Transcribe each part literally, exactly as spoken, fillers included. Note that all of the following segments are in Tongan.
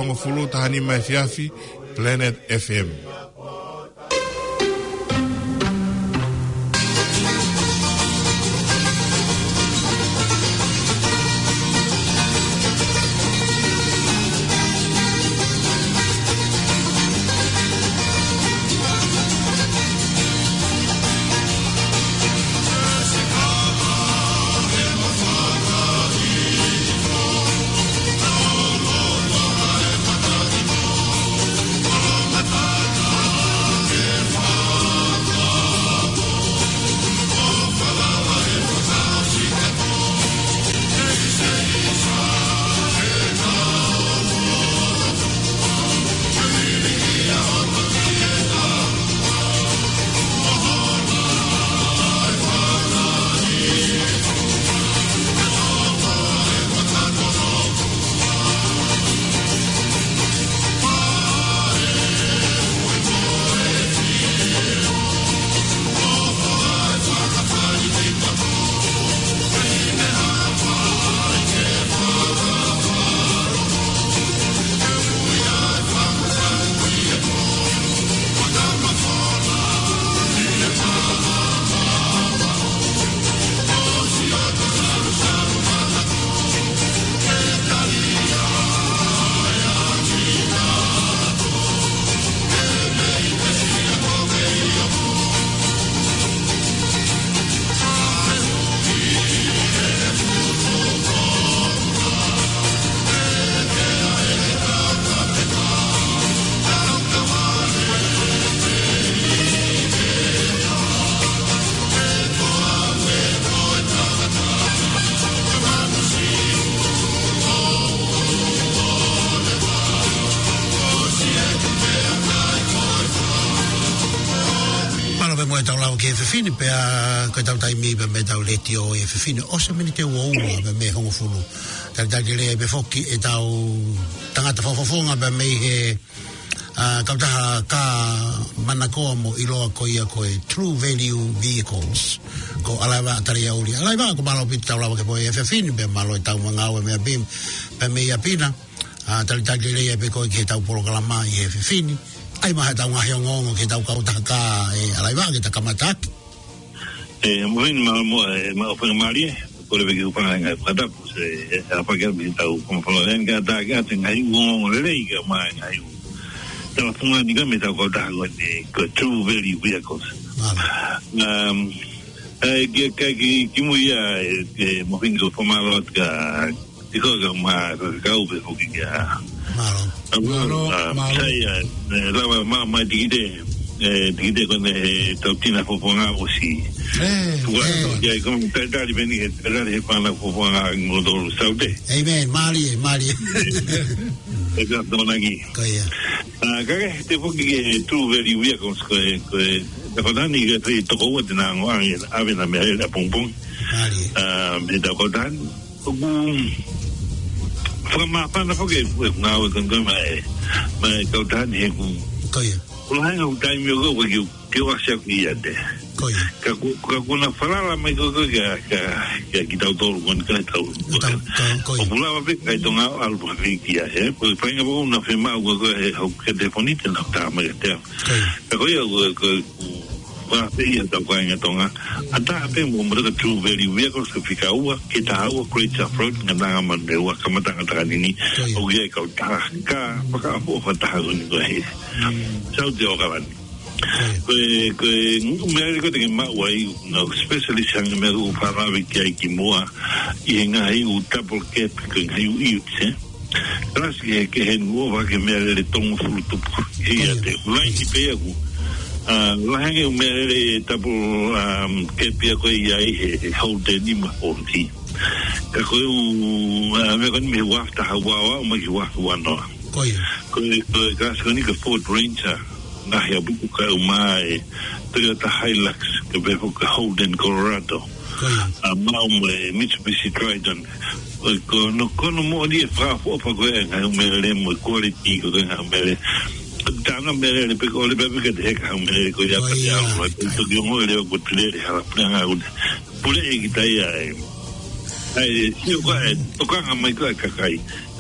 Hongofulu taha nima efiafi, Planet F M. Mālō pē mo ʻetau lava ki he efiafi ni pea ko ʻetau taimi pē mei heʻetau letiō ʻi he efiafi ni ʻosi e miniti ʻe ua ua pē mei he hongofulu. Talitali lelei pē foki ʻetau tangata fakafofonga pē mei he, ʻa, kautaha kā manakoa mo ʻiloa ko ia ko e True Value Vehicles. Ko ʻAlaiva Taliauli. ʻAlaiva, ko e mālō ʻaupito ʻetau lava ki he efiafi ni pea mālō ʻetau ngāue meʻa pē, pē mei ʻapi na. ʻA, talitali lelei pē koe ki heʻetau polokalama ʻi he efiafi ni. ʻAi mai haʻatau ngaahi ongoongo ki heʻetau kautaha kā ʻe ʻAlaiva ke ta kamata ʻaki. ʻE, moʻoni mālō mo, ʻe, ma o fenga mālie, kole pē ke u fanga ngaahi fakatapu, se, ʻe, ʻa fake mi tau kama fala len ka ta ke ate ngaahi ongoongo lelei ka mai ngaahi u. Tala funga ni ka mei heʻetau kautaha ko eni, ko True Value Vehicles. Mālō. Um, ʻe, ke, ke, ke, ki mui ia, ʻe, ʻe, moʻoni ko e fakamālō atu ka, Tiko ka ma, ka kau pē foki kia. Mālō. Mālō, ʻa, mālō. Sai, ʻa, ʻe, lava ma, ma tikite, ʻe, tikite ko eni he tau tina fofonga ʻosi. ʻE, Fua, ʻe. Ko kia ko talitali pē ni, he talitali he fana fofonga mo tolu saute. ʻĒmeni, mālie, mālie. ʻE ka tōnaki. Ko ia. ʻA, ka ke, te foki ke True Value Vehicles ko e, ko e, te kotani ke te toko ua te na ngo ange, ʻave na meʻalele ʻapongipongi. Mālie. ʻA, mei he tau kotani. ʻOku fakamāfana foki e ngāue ko eni mai, mai kautaha ni he ʻoku. Ko ia. Ko e hanga ʻo taimi ʻoku ke, ke ʻosi ʻaku ia te. Ko ia. Ka ʻoku, ka ʻoku na falala mai ko, ko, kia, kia, kia kitautolu ko eni ka tau. Tau, tau, ko ia. ʻOku lava pē kakai Tonga ʻo ʻalu pē kia he. Ko e faʻahinga pē ʻoku na fiemaʻu ko, ko e hau ke te fonite na tā mai te. Ko ia. Ka ko ia, ko, ko, Ko e pē ia tau kāinga Tonga. ʻAtā pē mo, mo e True Value Vehicles ko e fika ua, ki he taha ua, Great South Road, Ngataʻanga Manurewa, kamataʻanga Takanini. Ko ia. ʻOku ʻi ai e kautaha kā fakaʻofoʻofa taha ko eni ko e. Mm. Saute ʻAokalani. Ko ia. Ko e, ko e, ngu meʻa ko ē te ke maʻu ai, ngaahi specialist hangē ko e meʻa ʻoku ou fakalave ki ai kimuʻa, ʻi he ngaahi ʻū double cab, ko e ngaahi ʻū utes, ē? Kalasi he, ke he ngu ʻo vake meʻalele tolungofulu tupu. Ia te, laini pē ʻaku. ʻA, lahi ange ʻū meʻalele double, um, cab ia ko ē ʻi ai he, he Holden ʻi ma Ford. Ka ko e ʻū, ʻa, meʻa ko eni mei he ua afe taha ua ua ʻo mai ki he ua afe ua noa. Ko ia. Ko e, ko e kalasi ko eni ko e Ford Ranger. Ngaahi ʻapiku ka u mai, Toyota Hilux, ka pehē foki ko e Holden Colorado. Ko ia. ʻA, maʻu mo e Mitsubishi Triton. ʻOi, ko hono, ko hono moʻoni e fakaʻofoʻofa ko ē ngaahi ʻū meʻalele mo e quality ko ē ngaahi ʻū meʻalele. Tana meʻalele pē ko ʻoleva pē ka te heka ha meʻalele ko ia. Ko pea te ia. Alu, ʻai, toki ongo e leo ko te lele hala pule ngā une. Pule e kita ia e. ʻAi, sio ko e, tokanga mai ko e kakai.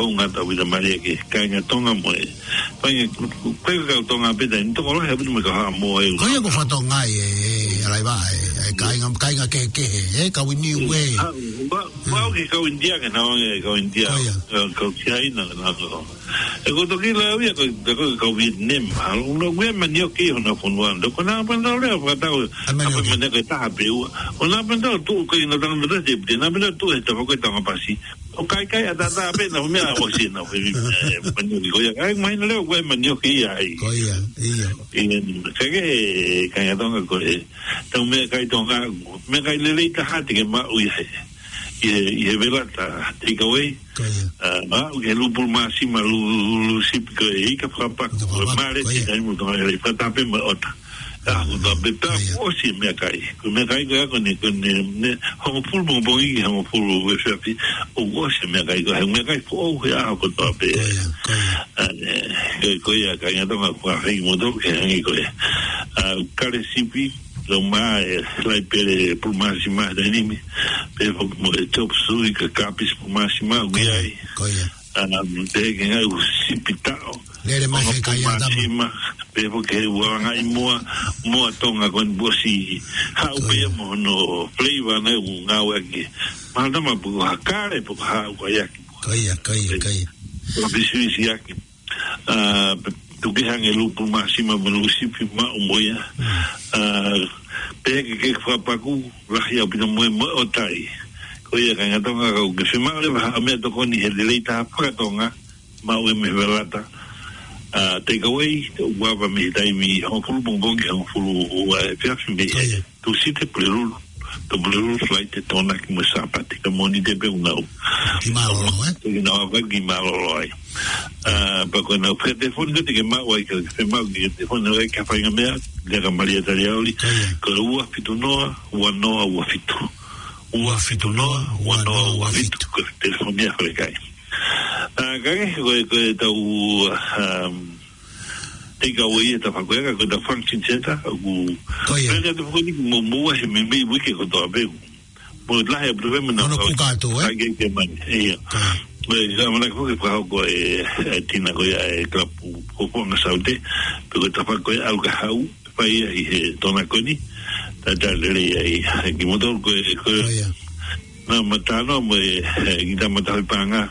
hounga tau vita maria ke kāinga Tonga mo e. Kāinga, kāinga kau Tonga pē tai, ni toko lahi ʻaupito mo e kau Haʻamoa ē. Ko ia ko Fatonga ē, ē, ē, ʻalai vā, ē, ē, kāinga, kāinga kehekehe, ē, kau ʻIniu ē. Ah, ba, ba, ke kau India ke na, ē, kau India. Ko ia. Kau, kau Siaina ke na, kau. E ko toki la ia ko, ko, ko Vietnam, ha, lo, ue manioki hona fonua, lo, ko na pantau lea, fakatau, ʻa e manioki. Apa manioki taha pē ua. ʻO na pantau tu, ko ina tanga mata te, te na pantau tu, e tapa ko e tanga pasi. ʻO kai kai ʻatā ʻatā pē na meʻa ʻosi na fē, e, manioki ko ia. Kai mai na leo ko e manioki ia ai. Ko ia, ia. Ia, ka ke, kāinga Tonga ko e. Tau meʻakai Tonga, meʻakai lelei taha te ke maʻu ʻi he. ʻI he, ʻi he velata, take away. Ko ia. Ah, maʻu ke lupul māsima lu, lu, lu sip ko e ika fakapako. Ika fakapako, ko e mare ko ia. Te kai mo Tonga, e fatape mo ʻota. ʻAho kotoa pē, pea ʻoku ʻosi e meʻakai. Ko e meʻakai ko ē ko eni, ko eni, ne, hongofulu pongipongi ki hongofulu efiafi, ʻoku ʻosi e meʻakai ko ē, he meʻakai foʻou he ʻaho kotoa pē. Ko ia, ko ia. ʻA, ē, ko, ko ia, kāinga Tonga, ko e feinga moutolu ke hangē ko ē. ʻA, kale sipi, lau mai e laipele Pulumāsima he taimi ni, pehē foki mo e chop suey ka kapisi Pulumāsima, ʻoku ʻi ai. Ko ia. ʻA, pehē ki he ngaahi sipi taʻo. Lele mai he kai ʻa tama. Pulumāsima, pehē foki ki he ualangaʻi moa, moa Tonga ko eni ʻoku ʻosi haʻu pē ia mo hono flavor naʻe ʻoku ngāueʻaki. Mahalo naʻa mo ha kale pe ko ha ʻuhaiaki. Ko ia, ko ia, ko ia. Ko e pisiʻisiʻaki. ʻA, pe, tuku ke hangē ʻa e Pulumāsima mo e sipi maʻu mo ia. Mm. ʻA, pehē ke ke fakapaku, lahi ʻaupito mo e, mo e ʻotai. Ko ia kāinga Tonga, ka ʻoku ke fiemaʻu leva ha meʻatokoni he lelei taha faka-Tonga, maʻu ia mei he Velata. ʻA, take away, ʻoku ava mei he taimi hongofulu pongipongi ki hongofulu ua efiafi mei he Tūsite, Pulelulu, to Pulelulu, Falaite, Tokonaki mo e Sāpate, ka Mōnite pē ʻoku nau. Ki mālōlō, ē? Ki nau ava ki mālōlō ai. ʻA, pea ko ʻenau telefoni ko ē te ke maʻu ai, ka ke fiemaʻu ke telefoni ai ki ha faʻahinga meʻa, lea kia Malia Taliauli, ko e ua fitu noa, ua noa ua fitu. Ua fitu noa, ua noa ua fitu, ko e telefoni ia ʻa e kai. ʻA, ka ke, ko e, ko ʻetau, um, take away ʻetau fakakoe, ka ko ʻetau function center, ʻoku. Ko ia. Pea ʻoku tau fakakoe ni mo, mo ʻi he meimei uike kotoa pē. Mo lahi ʻaupito pē mo na. Hono kau kuka atu, ē? Ka ke ke mani, ia. Ko ia. Mo e, ka mana ko ke fakahoko e, e Tina ko ia e kalapu ko Fonga Saute, pe ko ʻetau fakakoe ʻalu ka hau, fai ia ʻi he Tonga ko eni, talitali lelei ai, ʻa kimoutolu ko e, ko e. Ko ia. Naʻa ma talanoa mo e, e, kita matahi panga,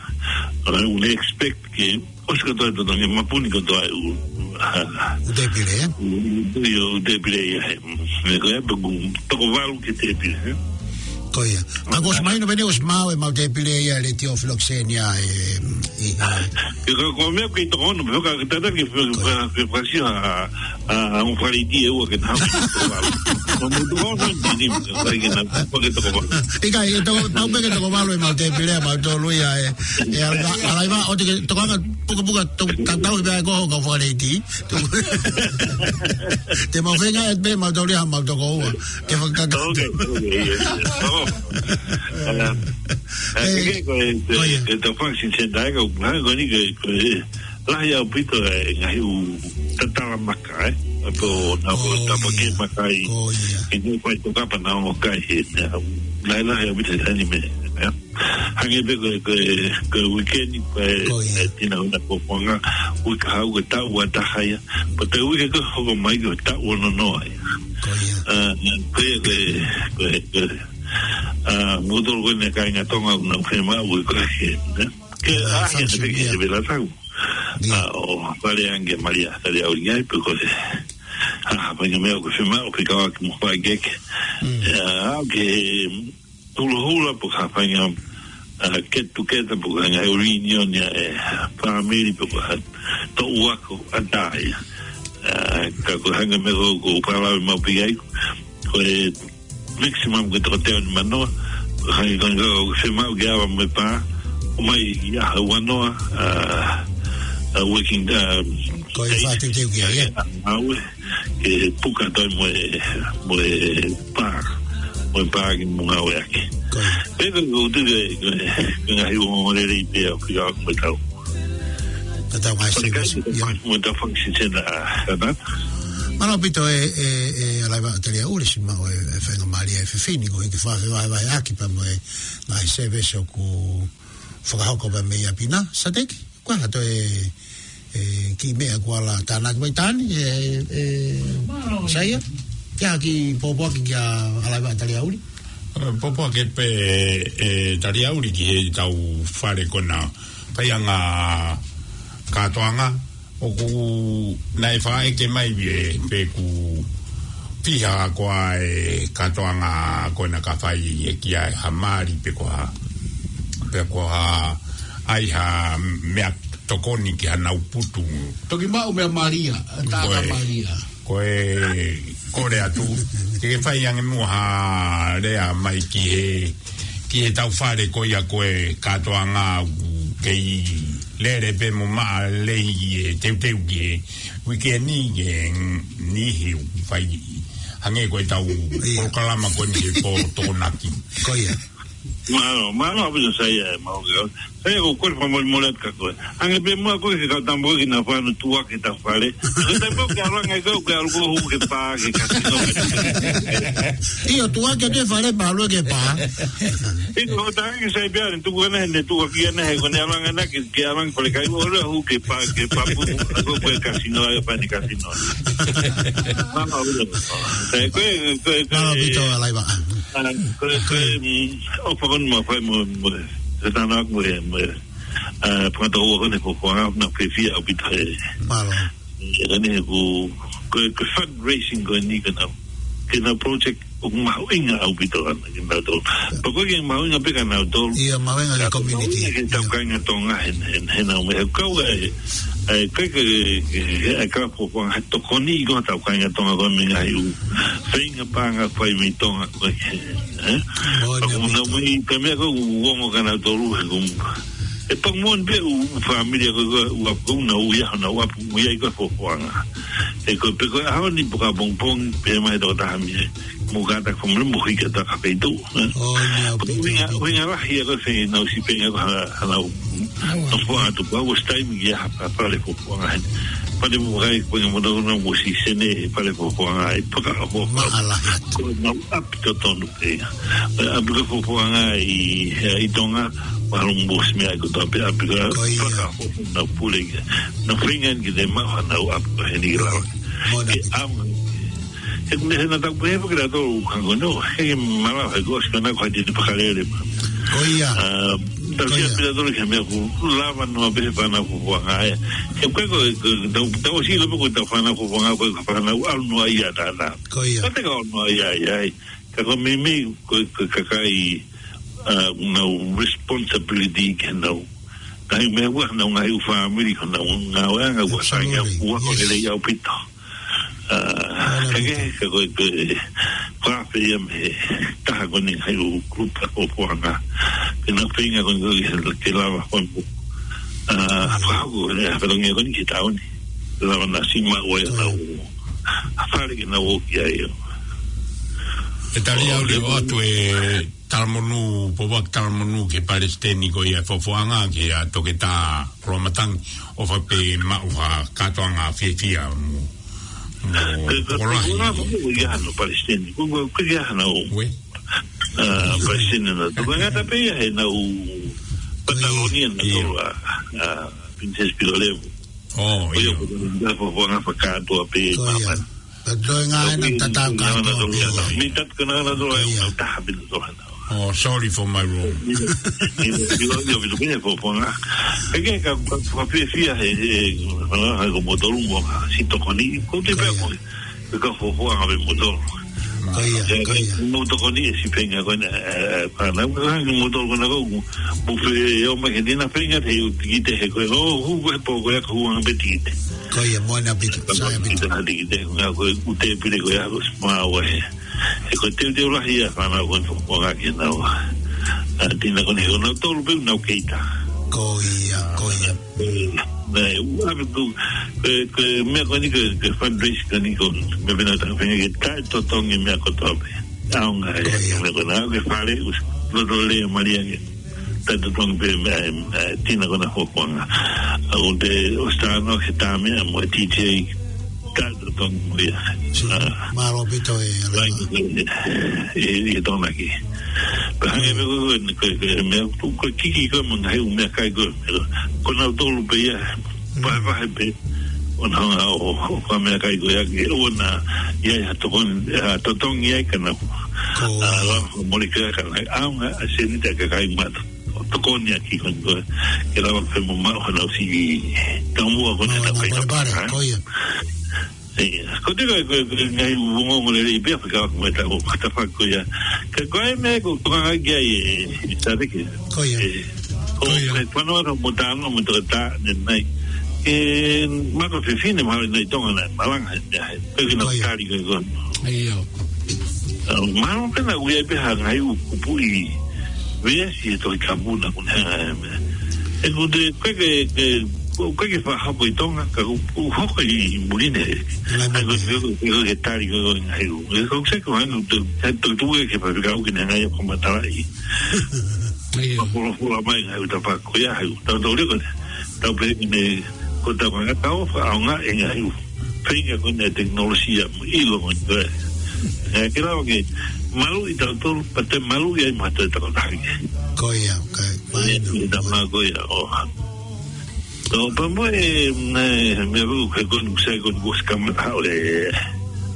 ʻa, ʻoku ne expect ke, ʻosi kotoa e totongi, mapuni kotoa e ʻū, ʻa, ʻū tēpile, ē? ʻŪ, ʻū, ʻū tēpile ia, ē. Meʻa ko ia, pe ʻoku toko valu ki he tēpile, ē? Ko ia. Ka ʻoku ʻosi mahino pē ʻoku ʻosi maʻu e maʻu tēpile ia, Letiō Filokisenia, ē, ʻi, ʻi. Ke ka ko meʻa ke toko ono, meʻa ka ke tata ke fe-, ko ia. Fe-, fe-, fasi ha, a, a, un faliti e ua ke na. Ko mo toko ono, ni, ni, ka ke na, ko ke toko ono. ʻIkai, ʻe toko, tau pē ke toko valu e maʻu tēpile, maʻu tolu ia, ē. ʻE, ʻa, ʻa, ʻa, ʻa, ʻo te ke, toko anga, puka, puka, to, tatau pē ko ho ka faliti. Te mau feinga ʻe pē maʻu tolu ia, maʻu toko ua. Ke fakaka-. Ok, ok, ia. Oh. ʻA, ʻa, ʻe, ke, ko e, ko ia. Ke tau function center, ka, ha, ko eni ke, ko e, lahi ʻaupito e ngaahi ʻū tatala maka, ē? ʻA, ko na ko. Oh, tapa ke ia. Maka ʻi. Ko ia. Ke ne fai tokapa na o kai he, ne, lahi, lahi ʻaupito he taimi ni, ē? Hangē pē ko e, ko e, ko e uike ni, ko e, ko ia. E Tina ʻoku na ko Fonga, uike hau ko e taʻu ua taha ia. Pea ko e uike ko ē hoko mai ko e taʻu ono noa ia. Ko ia. ʻA, ko e, ko e, ko e, ko e. ʻA, moutolu ko eni kāinga Tonga ʻoku nau fiemaʻu ko e, ē? Ke, ʻa, ʻa, function, ia. Ke te vela tau. Ia. ʻA, ʻo fale ange Malia, Taliauli ai, pe ko e. ʻA, ha faʻahinga meʻa ʻoku fiemaʻu, ʻoku fekauʻaki mo e faikehekehe. Mm. ʻA, ke hulohula pe ko ha faʻahinga, ʻa, get together pe ko ha ngaahi reunion ia e family pe ko ha toʻu ako ʻatā ia. ʻA, ka ko e hangē ko e meʻa ʻoku ou palave maʻu pē ai, ko e maximum ko e toko teau nimanoa, hangē ko eni ʻoku fiemaʻu ke ava mo e pā, ʻomai ia ha ua noa, ʻa, ʻa, working, ʻa, ko e days. Fakateuteu ki ai, ē? ʻA, ʻa, ʻa, ʻa, ke puka toe mo e, mo e pā, mo e pā ke mo ngāueʻaki. Ko ia. Pea ko e ʻutu ke, ke, ke ngaahi ongoongo lelei pē ʻoku fekauʻaki mo e tau. Tatau mai. Ko e se kai, ia. Mo e tau function center, ʻa, ʻa, ʻa. Mālō ʻaupito e, e, e, ʻa Laiva ʻa Taliauli, ʻosi maʻu e, e faingamālie e fefine ko ē ke fakafevahevaheʻaki pea mo e ngaahi service ʻoku fakahoko pea mei ʻapi na, Sateki. Ko e hā toe, e, kiʻi meʻa kuo ala tānaki mai Tani, e, e, Saia? Ke ʻai ha kiʻi pōpoaki kia ʻa Laiva ʻa Taliauli? E, pōpoaki pē, e, Taliauli ki he tau fale ko ena faiʻanga kātoanga, ʻoku naʻe faʻa ʻeke mai ē, pe ʻoku fiha koā e kātoanga ko ena ka fai ʻe ia ha mali pe ko ha, pe ko ha ʻai ha meʻa tokoni ki haʻanau putu. Toki maʻu meʻa malia, taʻata malia. Ko e, ko e kole atu, ke ke fai ange muʻa ha lea mai ki he, ki he tau fale ko ia ko e kātoanga ʻoku kei lele pē mo maʻa lelei e teuteu ki he uike ni ke nihi ʻoku fai. Hangē ko ʻetau Ia. polokalama ko eni ko Tokonaki. Ko ia. Mālō, mālō ʻaupito Saia, mālō ke. Saia ko koe fakamolemole atu ka koe. Hangē pē muʻa ko e ke kau tama ko e ke na fano tuʻa ke ta fale. Ko e taimi ko e ke ʻalu ange ko e ke ʻalu ko e hū ke pā ke kasino. ʻIo, tuʻa ke te fale pā ʻalu ke pā. ʻIo, ko e taha ke sai pē ʻalu, tuku ʻana he ne tuʻa ki ʻana he ko e ne ʻalu ange ʻana ke, ke ʻalu ange fale kai, ʻo le hū ke pā, ke pā pu, ko e kasino ai, pani kasino. Mālō ʻaupito. Sai, ko e, ko e, ko e, Mālō ʻaupito, Laiva. ʻA, ko e, ko e, mm, ʻofa ko eni mo fai mo, mo, ko e tana mo, mo, ʻa, pangata ua ko eni ko, ko ʻana fiefia ʻaupito he. Mālō. ʻE, ʻa eni he ko, ko e, ko e fundraising ko eni ke nau, ke nau project ʻoku mahuʻinga ʻaupito ʻana ke nau tolu. Pea ko e ke mahuʻinga pē ke nau tolu. Ia, mahuʻinga ki he Ka community. mahuʻinga ki he tau Ia. kāinga Tonga he, he, he nau me he kau e, e, ko e, ko e, ko e, ko e, ko e, ko e tokoni ko e tau kāinga Tonga ko e mei he ngaahi ʻū feinga paʻanga fai mei Tonga ko e, ē? Moʻoni ʻaupito. Pea ko e nau mei, ko e meʻa ko e ʻoku ongo ke nau tolu he ko e, ʻe pau moʻoni pē ʻū fāmili ko e, ko e ʻū ʻapi ko e nau ia, nau ʻapi, ʻū ia i ko e fofoʻanga. ʻE ko e pē ko e ʻaho ni pē ka pongipongi, pē mai toko taha mei ai. Mo ka ta ko mo mo hika ta ka peitu. ʻOi, ʻaupito, Uinga, ʻaupito. uinga lahi ia ko e feinga nau si pē ngā ko ha, ha nau. Aua. Nau fua atu pau, was time ia ha, ha fale fofoʻanga heni. Pale mo kai, ko e mo nau nau mo si sene, fale fofoʻanga ai, paka fofoʻanga. Maʻa lahi atu. Ko e nau ʻapi totonu pē. ʻApi ko e fofoʻanga i, i Tonga, mahalo mo si meʻa ko e tau pē ʻapi ko e Ko ia. paka fofoʻanga pule ia. Nau feinga ki te maha nau ʻapi ko heni lau. Moʻoni Ke ʻaupito. ʻAma. He ko e meʻa he na tau pehē pē ke la tau hango no, he ke mala he ko si kana ko hati te pakalele ma. Ko ia. Ah, tau Ko sia ia. pila tolu ke meʻa ku lava no a pehē fana fofoʻanga e. He ko e ko, ko, tau, tau si lo ko tau fana fofoʻanga ko e fana ʻalu no ia tana. Ko ia. Ka te ka ʻalu no ia ia. Ka ko e meimei ko, ko e kakai, ah, nau responsibility ke nau. Ngai meʻa ua nau ngai u family ko nau ngāue anga ua sai Absolutely. ua ko Yes. ke lei ʻaupito. Ah, Ana ka ke, Rita. ka ko, ko, ko a fē ia mei he taha ko eni hai ʻū group ʻa fofoʻanga. Ke na feinga ko eni ke, ke lava ko eni. Ah, Ana. fakahaku ko eni, ah, whatongia ko eni ki taoni. Lava na si ma ua ia Ko na ia. u. A fale ke na u ki ai o. E tali au le o atu e Talamonū, Popak Talamonū ke palesiteni ko ia fofoʻanga ke a Toketā Ramatangi ʻo fa pē maʻu ha kātoanga fiefia mo, mo Ke, ke, ko lahi. ko la ko ia no palesiteni, ko, ko, ko ia no. Ue. Ah, palesiteni na. Tō ka ngata pē ia he na u Patalonia na Ia. tō a, a, Princess Pilolevu. Oh, Ko ia ia. ko ia fofoʻanga fakatoa pē Ko ia. mama. Ka toe ngā e na tatau kātoa pē ia. Mi tat ko na na tō Ko ia. a, taha pē tō a. Oh, sorry for my wrong. Ilo, ilo, ilo, ilo, fofoʻanga. Ke ke ka, ka, ka fiefia he, he, ha, ha, ko motolu mo, si tokoni, ko te Ko pea ia. ko, ke ka fofoʻanga pē motolu. Ko ia, Ke, ko ia. mo tokoni e si feinga ko ena, e, e, ka na, ka mo tokoni ko, mo fe, o ma ke dina feinga te u tikite he ko, o, hu, ko e po, ko e ka huanga pē tikite. Ko ia, moʻoni ʻaupito, sai ʻaupito. Kita na tikite, nga ko, u te pile ko ia, ko sma wa he. He ko te, te ula hia, fana ko, ko nga ke na wa. A, tina ko ne, ko na tolu pē, na keita. Ko ia, ko ia. Nai, ua pe ko, ko, ko e meʻa ko eni ko, ko e fundraise ko eni ko, meʻa pē na ta fenga ke taʻetotongi meʻa kotoa pē. ʻAonga e, Ko ia. meʻa ko na, ko e fale, us, loto le, malia ke. Taʻetotongi pē meʻa, e, e, tina ko na fofoʻanga. A, ʻo te, ʻo stano ke tā meʻa mo e T J, taʻetotongi mo ia. Si, Ah. mālō ʻaupito e, Lain, e, e, e, e, tonaki. Pea hangē pē ko, ko, ko, ko, meʻa, ko, ko kiki ko, mo ngaahi ʻū meʻakai ko, ko, ko nau tolu pē ia, vahevahe pē, ʻo na hanga ʻo, ʻo ka meʻakai ko ia, ke ʻona, ia, ia tokon, ia totongi ai ka na, Ko. a, la, mole ka ka na, ʻaonga, a seni ta ka kai mata, ʻo tokoni a ki kon ko, ke lava pē mo ma, ʻo na si, ka mua ko na Mālō, ta na kai pale na, pale, ha? ko ia. Ia, ko te ko, ko, ko, ngai u mo mo le pe ka ko ta ko ta fa ko ia. Ka ko e meʻa ko ko nga ki ai e, e, sa te ke. Ko ia. E, ko Ko ia. e, fano ata mo ta no mo to ta ne nai. E, ma ko fefine ma nai tonga na, malanga, e, e, pe ki na Ko ia. kari ko ko. Ia. Ah, ma no pe na u ia pe ha ngai u kupu i. Vea si e to i kapu na ko ne, e, ʻOku te, ʻoku ʻikai ke, ke, ʻoku ʻikai ke fakahoko ʻi Tonga, ka ʻoku, ʻoku hoko ʻi muli ni. Lahi mai. ʻA ia ko e, ko e, ko e tali ko e ngaahi ʻū. ʻE, ʻoku sai ko e hanga ʻo, ʻe, tukutuku ʻe he faifekau ke ne hanga ʻo fakamatalaʻi. ʻIo. Fakafuofua mai ngaahi ʻū tafaʻaki ko ia, ʻa ia ʻoku tau tau leko, tau pehē ni, ko e tau ngata ʻo fakaʻaongaʻi e ngaahi ʻū feinga ko eni ʻa e tekinolosia mo e ʻilo mo e. ʻE, ke lava ke maluʻi tautolu, pea te maluʻi ai mo ha toe tokotaha kehe. Ko ia, ko ia. Mahino. ʻI he tama ko ia, ʻo. ʻO, pea mo e, ne, meʻa ʻoku ke koni, sai koni kuo ʻosi kamata ʻo e,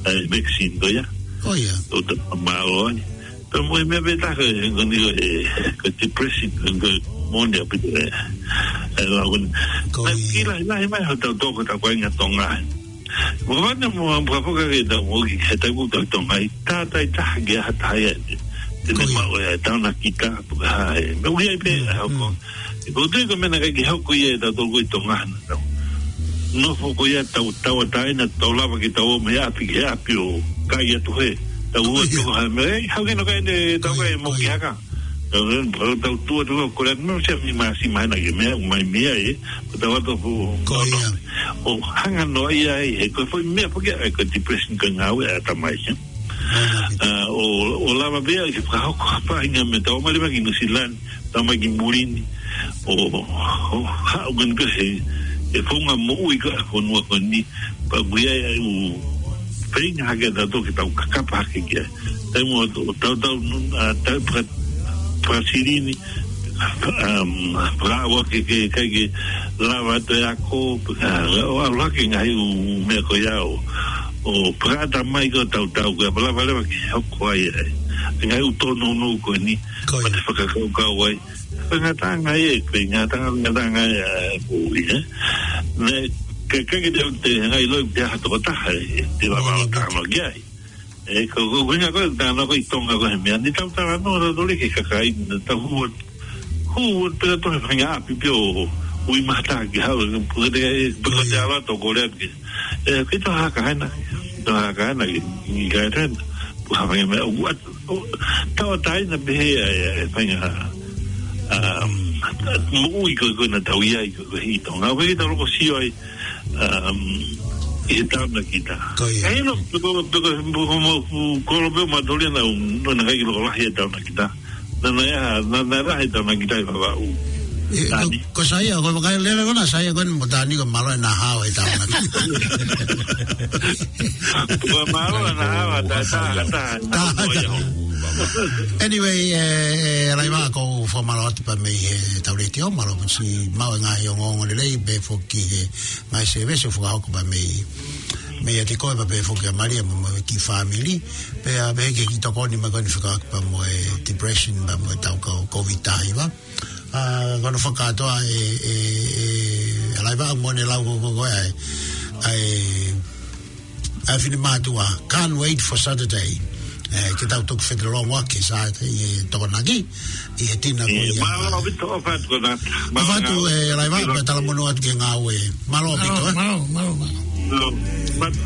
e vaccine ko ia. Ko ia. ʻO ta, mālō ai. Pea mo e meʻa pē taha ko e, ko e, ko e depression, ko e moʻoni ʻaupito e, e lau ko eni. Ko ia. Naʻe kiʻi lahi, lahi mai hotau toko ta ko e ngaahi Tonga. Mo vane mo am pukapuka ke ta mo ki he tau ko Tonga ʻi tātai taha ki ha taha ia. Te ne maʻu e taonakita, puka ha e. Meʻa ʻoku ʻi ai pē, mm, ʻa ko. Ko te ko e meʻa naʻe ʻikai ke hoko ia ʻe tautolu ko ʻi Tonga na. Nofo ko ia tau, tauʻatāina, tau lava ke tau ō mei ʻapi ki ʻapi ʻo kai atu he. Tau ua toko ha meʻa, ʻe, hau ke no kai ne, tau kai mo ki haka. Tau, tau, tau tua tua ko le meʻa se mi masi mai na ke meʻa, mai meʻa ē, tau atu fu. Ko ia. ʻO hanga noa ia ai, he ko e foʻi meʻa pē ke, ʻa e ko e depression ko e ngāue ʻa e tamai ia. ʻA, ʻo, ʻo lava pea ke fakahoko ha faʻahinga meʻa tau mali mai ki New Zealand, tau mai ki muli ni, ʻo, ʻo haʻu ko eni ko e, e founga moʻui ko e fonua ko eni, pea ʻoku ʻi ai ʻa e ʻū feinga hake ʻa tautolu ke tau kakapa hake ki ai. Taimi ʻo tau, tau, ʻa, tau paka-, pakasilini, um, pakaʻau ke, ke, ke, ke lava atu e ako, ʻa, ʻo ʻalu hake ngaahi ʻū meʻa ko ia ʻo, ʻo pakaʻata mai ko e tau tau ko ia, pea lava leva ke hoko ai ai. Ngaahi ʻū tōnounou ko eni, ko ia, pea te fakakaukau ai. Ko e ngataʻanga ia, ko e ngataʻanga, ngataʻanga ia, ko ia. Ne, ke, ke, ke te, te, ngaahi loi, te ha tokotaha, te lava ʻo tānaki ai. ʻE, ko, ko, ko e ngaahi ko e tānaki ko ʻi Tonga ko e meʻa. Ni tau talanoa, tau tole ke kakai, ni tau hua, hua, pea tau he faʻahinga ʻapi pē ʻo, ui mata ki hau, pea te, pea te ala tau kole atu ke. ʻE, ke tau haka hena, tau haka hena, ki, ki kai hena, pea ha faʻahinga meʻa, ʻo, ʻo, tauʻatāina pē he, ʻa e, ʻa e, faʻahinga, um, moʻui ko, ko ena tau ʻi ai, ko, ko ʻi Tonga. ʻOku ʻikai ke tau loko sio ai, um, ʻi he taonakita. Ko ia. ʻE, no, peko, peko, peko, mo, fu, kolo pē ma toli na, no, na kai ki loko lahi e taonakita. Na, na, ia, na, na, lahi e taonakita ʻi Vavaʻu. ʻE, ko, Tani. Ko Saia, ko e vakai lele ko na Saia ko eni mo Tani ko e mālō ʻena hao e taonakita. Ko e mālō ʻena hao, ta, ta, ta, ta, ta, ta. Anyway, ʻe, ʻe, Laiva, ʻoku ou fakamālō atu pea mei he tau letiō, mālō pē siʻi maʻu e ngaahi ongoongo lelei, pea foki he ngaahi sēvesi ʻoku fakahoko pea mei, mei ʻa e tiko pea pehē foki ʻa Malia mo, mo e kiʻi fāmili, pea, pea pehē ki he kiʻi tokoni mai ko eni fekauʻaki pea mo e depression pea mo e tau ko-, Covid taha hiva. ʻA, ko hono fakakātoa ʻe, ʻe, ʻe, ʻa Laiva mo ʻene lau ko, ko, ko, ʻa e, ʻa e, ʻa e finemātuʻa, can't wait for Saturday. ʻE, ke tau toki fetalanoaʻaki Saturday ʻi he Tokonaki, ʻi he tina ko ia. Mālō ʻaupito, ʻofa atu ko na. ʻOfa atu, ʻe, Laiva, pea talamonū atu ki he ngāue. Mālō ʻaupito, ʻe. Mālō, mālō, mālō. Mālō.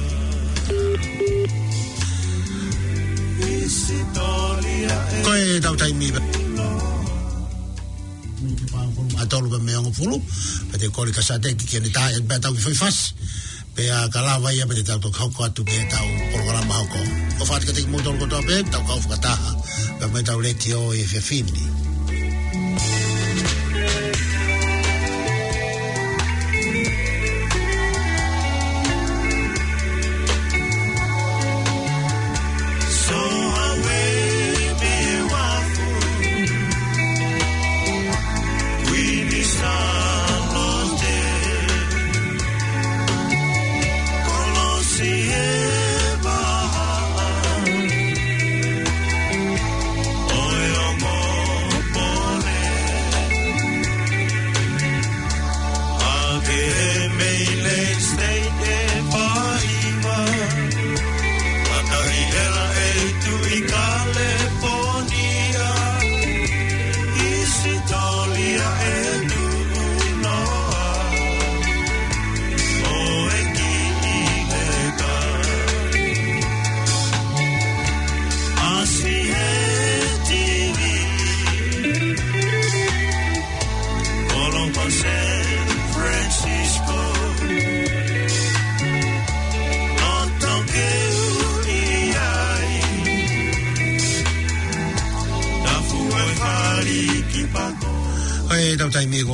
Ko e tau taimi pē. ʻA tolu pea mei he hongofulu, pea te kole kia Sateki ke ne tā, pea tau kiʻi foʻi fasi. Pea ka lava ia pea te tau toki hoko atu ki he tau polokalama hoko. ʻOfa atu kiate kimoutolu kotoa pē, tau kau fakataha. Pea mei he tau letiō ʻi he efiafi ni.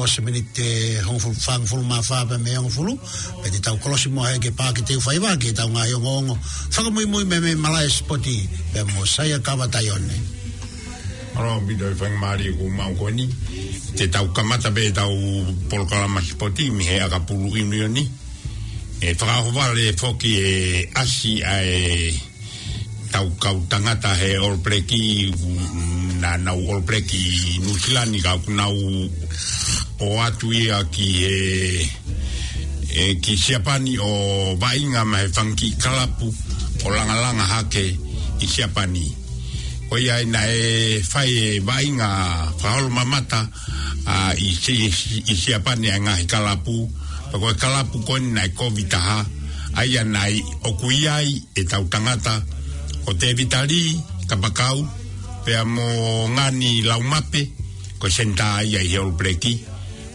Kolosi miniti hongofulu, fāngofulu mā fā pea mei he hongofulu, pea te tau kolosi mo e ke pā ke teu faiva ke tau ngaahi ongoongo fakamuimui mei he malaʻe sipoti pea mo Saia Kava Taione. Mālō ʻaupito e faingamālie kuo mau ko eni. Te tau kamata pē ʻetau polokalama sipoti mei he ʻakapulu ʻiunioni. ʻE fakaʻohovale foki e ʻasi ʻa e tau kau tangata he All Black, naʻa nau All Black ʻi Nuʻusila ni ka ʻoku nau ō atu ia ki he, ʻe, ki Siapani ʻo vaʻinga maʻa e fanga kiʻi kalapu ʻo langalanga hake ʻi Siapani. Ko ia ai naʻe fai e vaʻinga fakaholomamata, ʻa, ʻi Si-, ʻi Siapani ʻa e ngaahi kalapu, pea ko e kalapu ko eni naʻe kovi taha, ʻa ia naʻe ʻoku ʻi ai ʻetau tangata, ko Tēvita Lī Kapakau, pea mo Ngani Laumape, ko e senitā ia ʻi he All Black.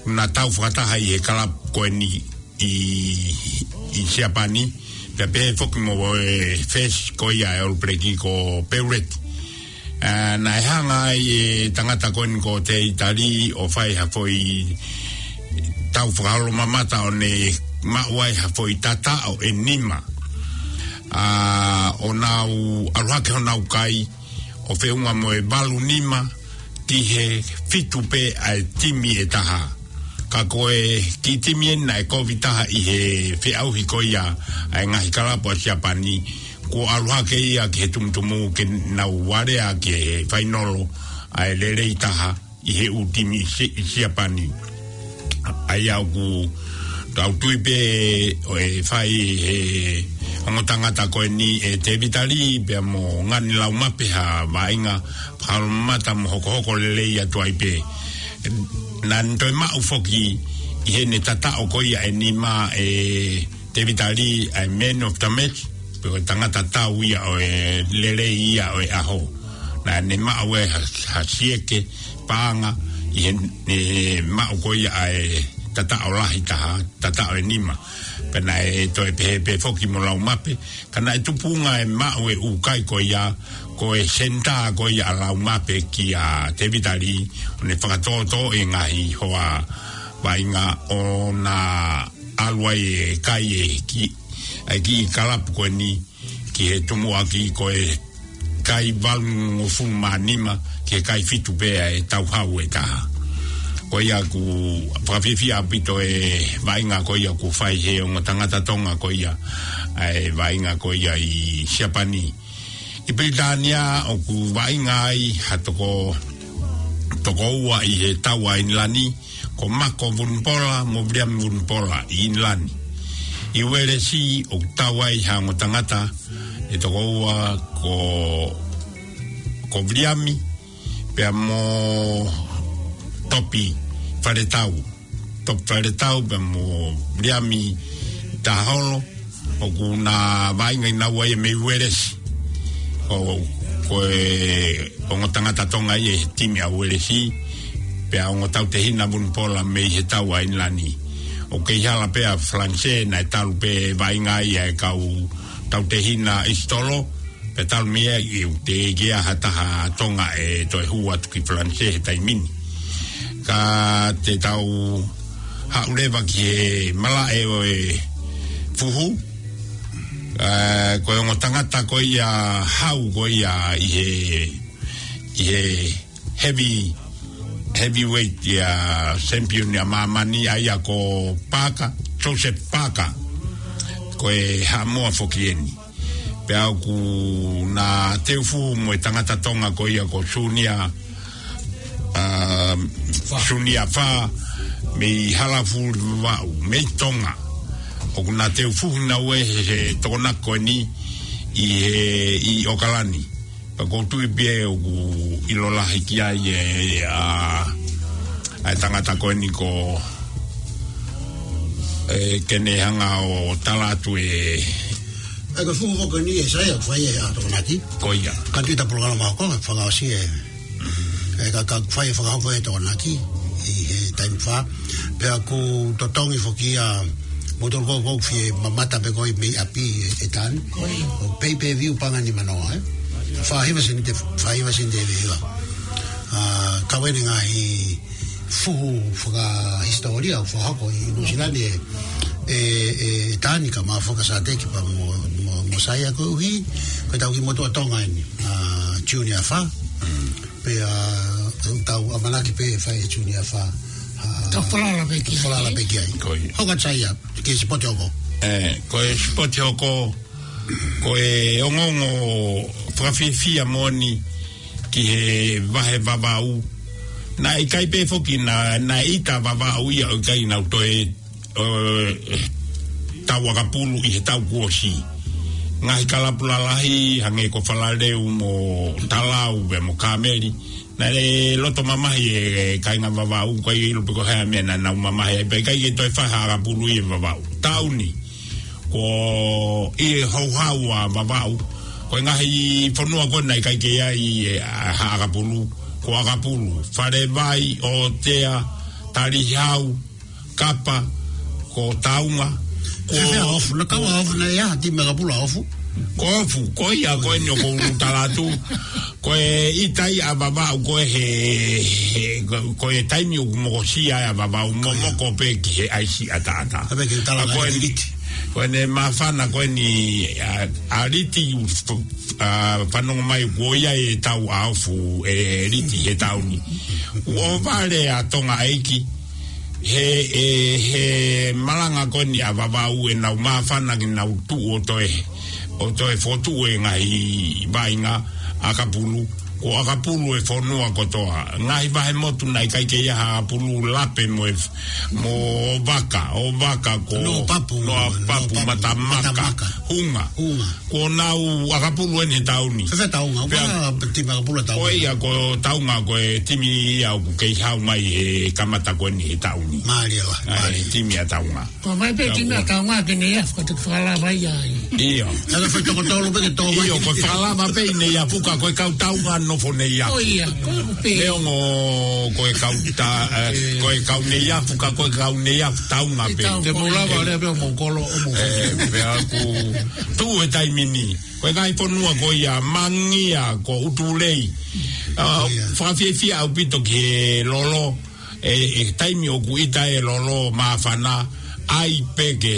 Naʻa tau fakataha ʻi he kalapu ko eni ʻi, ʻi Siapani, pea pehē foki mo e first ko ia e All Black ko Peuleti. ʻA, naʻe hanga ai e tangata ko eni ko Tēvita Lī ʻo fai ha foʻi tau fakaholomamata ʻo ne maʻu ai ha foʻi tataʻo ʻe nima. ʻA, ʻo nau ʻalu hake honau kai, ʻo feʻunga mo e valu nima ki he fitu pē ʻa e timi ʻe taha. Ka ko e kiʻi timi eni naʻe kovi taha ʻi he feʻauhi ko ia ʻa e ngaahi kalapu ʻa Siapani, kuo ʻalu hake ia ki he tumutumu ke nau alea ki he fainolo ʻa e lelei taha ʻi he ʻū timi ʻi Si-, ʻi Siapani. ʻA ia ʻoku tau tui pē ʻoku fai he ongo tangata ko eni ʻe Tēvita Lī pea mo Ngani Laumape ha vaʻinga fakaholomamata mo hokohoko lelei atu ai pē. Naʻa ne toe maʻu foki ʻi heʻene tataʻo ko ia ʻe nima ʻe Tēvita Lī ʻa e man of the match, pe ko e tangata tau ia ʻo e lelei ia ʻo e ʻaho. Naʻa ne maʻu e ha, ha sieke paʻanga ʻi heʻene maʻu ko ia ʻa e tataʻo lahi taha, tataʻo ʻe nima. Pea naʻe toe pehē pē foki mo Laumape, ka naʻe tupunga e maʻu e ʻū kai ko ia, ko e senitā ko ia ʻa Laumape kia Tēvita Lī, ʻo ne fakatōtō e ngaahi hoa vaʻinga ʻo na ʻalu ai e kai e ki, e kiʻi kalapu ko eni ki he tumuʻaki ko e kai valungofulu mā nima ki he kai fitu pē ʻa e tau hau ʻe taha. Ko ia ʻoku fakafiefia ʻaupito e vaʻinga ko ia ʻoku fai he ongo tangata Tonga ko ia ʻa e vaʻinga ko ia ʻi Siapani. ʻI Pilitānia ʻoku vaʻinga ai ha toko, toko ua ʻi he tau ʻa ʻInilani, ko Mako Vunipola mo Viliami Vunipola ʻi ʻInilani. ʻI Uēlesi ʻoku tau ai ha ongo tangata ʻe toko ua ko, ko Viliami, pea mo Topi Faletau. Topi Faletau pea mo Viliami Taholo, ʻoku na vaʻinga ʻi naua ia mei Uēlesi. Ko, ko e ongo tangata Tonga ia he timi ʻa Uēlesi, pea ongo tautehina Vunipola mei he tau ʻa ʻInilani. ʻOku kei hala pē ʻa Falanisē, naʻe talu pē vaʻinga ia e kau tautehina ʻIsitolo, pea talu mei ai ʻoku teʻeki ai ha taha Tonga ʻe toe hū atu ki Falanisē he taimi ni. Ka te tau haʻu leva ki he malaʻe ʻo e fuhu, ʻa, ko e ongo tangata ko ia hau ko ia ʻi he, ʻi he heavy, heavyweight ia champion ia māmani ʻa ia ko Paka, Joseph Paka, ko e Haʻamoa foki eni. Pea ʻoku na teu fuhu mo e tangata Tonga ko ia ko Sunia, ʻa, Sunia Fā, mei Halafuli Vavaʻu, mei Tonga. ʻOku na teu fuhu naua he, he tokonaki ko eni ʻi he, ʻi ʻOkalani. Pea ʻoku ou tui pē ʻoku ʻilo lahi ki ai e, ʻa, ʻa e tangata ko eni ko, ʻe, ke ne hanga ʻo tala atu e. ʻA e ko e fuhu ko eni ʻe Saia ʻoku fai e ʻa tokonaki. Ko ia. Ka tui ta polokalama ko e fakaʻosi e. ʻE ka, ka fai e fakahoko e tokonaki ʻi he taimi fā. Pea ʻoku totongi foki ia mo tolu ko ʻoku fie mamata pē ko e mei ʻapi ʻe, ʻe tanu. ʻO pay per view paʻanga nima noa, ē. Fā hiva sēniti, fā hiva sēniti ʻe viva. ʻA, ka ʻoku ʻi ai e ngaahi fuhu fakahisitōlia ʻoku fakahoko ʻi Nuʻusila ni ʻe, ʻe, ʻe Tani ka ma faka Sateki pea mo, mo, mo Saia koeʻuhi, ko ʻetau kiʻi motuʻa Tonga eni, ʻa, Junior Fa. Pea, ʻoku tau ʻamanaki pē fai Junior Fa. ʻA, Tau falala pē ki ai. Falala pē ki ai. Ko ia. Hoko atu Saia, ki he sipoti hoko. ʻE, ko e sipoti hoko, ko e ongoongo fakafiefia moʻoni ki he vahe Vavaʻu. Naʻe ʻikai pē foki naʻa, naʻe ʻita Vavaʻu ia ʻo ʻikai nau toe, ʻo, tau ʻakapulu ʻi he taʻu kuo ʻosi. Ngaahi kalapu lalahi, hangē ko Falaleu mo Talau, pea mo Kameli. Naʻe loto mamahi e, e kāinga Vavaʻu, ʻikai ʻilo pe ko e hā e meʻa naʻa nau mamahi ai, pea ʻikai ke toe fai ha ʻakapulu ʻi he Vavaʻu. Taʻu ni, ko e houhau ʻa Vavaʻu, ko e ngaahi fonua ko ē naʻe ʻikai ke ʻi ai e, ʻa, ha ʻakapulu, ko ʻAkapulu, Falevai, ʻOtea, Talihau, Kapa, ko Taunga, ko Fefea Ofu, naʻe kau ʻa Ofu, naʻe ʻi ai ha timi ʻakapulu ʻa Ofu. Ko Ofu, ko ia, ko eni ʻoku ou tala atu. Ko e ʻita ia ʻa Vavaʻu, ko e he, he, ko, ko e taimi ʻoku mokosia ai ʻa Vavaʻu, momoko pē ki he ʻaisi ʻataʻatā. Ka pē ke tala ʻa ko e Liti. Ko eni māfana ko eni, ʻa, ʻa Liti, ʻa, fanongo mai kuo ʻi ai e tau ʻa Ofu, ʻe Liti he taʻu ni. ʻOku ʻohovale ʻa Tonga ʻEiki, he, ʻe, he malanga ko eni ʻa Vavaʻu ʻenau māfana ke nau tuʻu ʻo toe, ʻo toe fokotuʻu e ngaahi vaʻinga ʻakapulu, ko ʻAkapulu e fonua kotoa. Ngaahi vahe motu naʻe ʻikai ke ʻi ai ha ʻakapulu, Lape mo e, mo Vaka, ʻo Vaka ko Noa Papu, Noa Papu, Noa Papu, Matamaka, Matamaka. Hunga. Hunga. Ko ʻenau ʻakapulu eni he taʻu ni. Fefea Taunga, pea ʻoku ʻi ai ha timi ʻakapulu ʻa Taunga. Ko ia ko Taunga, ko e timi ia ʻoku kei hau mai he kamata ko eni he taʻu ni. Mālie lahi, ʻa e mālie. Timi ʻa Taunga. Ko e ʻomai pē pea timi ʻa Taunga ke ne afu ka te fakalava ia ai. ʻIo. Ka ke fai toko tolu pē ke tō mai. ʻIo, ko e fakalava pē ʻi Neiafu ka ko e kau Taunga nofo Neiafu. ʻO ia, ko e pē. Neongo ko e kau ta-, ʻe, ko e kau Neiafu ka ko e kau Neiafu Taunga pē. Taunga. Te mou lava lea pē ʻo mou kolo, ʻo mou. ʻE, pea ʻoku tuʻu he taimi ni. Ko e ngaahi fonua ko ia, Mangia, ko ʻUtulei. ʻA, ʻIo. Fakafiefia ʻaupito ki he lolo, ʻe, ʻe taimi ʻoku ʻita e lolo māfana, ʻai pē ke